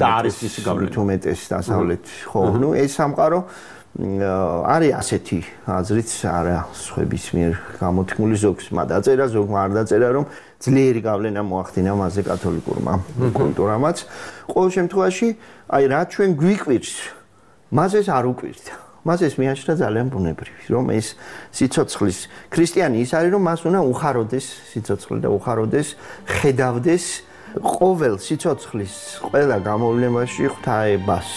და არის ის გავლენა თუმეტეს დასავლეთ ხო ნუ ეს სამყარო არის ასეთი აზრით არა სხვების მიერ გამოთქმული ზოგს დაწერა ზოგმა არ დაწერა რომ ძლიერი გავლენა მოახდინა მასზე კათოლიკურმა კულტურამაც ყოველ შემთხვევაში აი რა ჩვენ გვიკვირს მას ეს არ უკვირდა მას ეს მიაჩნდა ძალიან ბუნებრივი რომ ეს სიცოცხლის ქრისტიანი ის არის რომ მას უნდა უხაროდეს სიცოცხლე და უხაროდეს ხედავდეს ყოველ სიცოცხლის ყველა გამოვლენაში ღვთაებას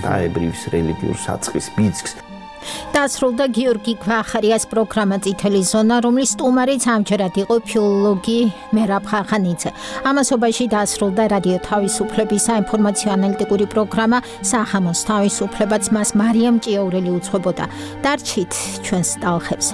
დაებრივის რელიგიურ საწყის ბიძგს დასრულდა გიორგი გვახარიას პროგრამა წითელი ზონა, რომლის სტუმარიც ამჯერად იყო ფილოლოგი მერაბ ხახანიძე. ამასობაში დასრულდა რადიო თავისუფლების საინფორმაციო ანალიტიკური პროგრამა სახამოს თავისუფლებაც მას მარიამ ჭიაურელი უძღვებოდა. დარჩით ჩვენს ტალხებზე.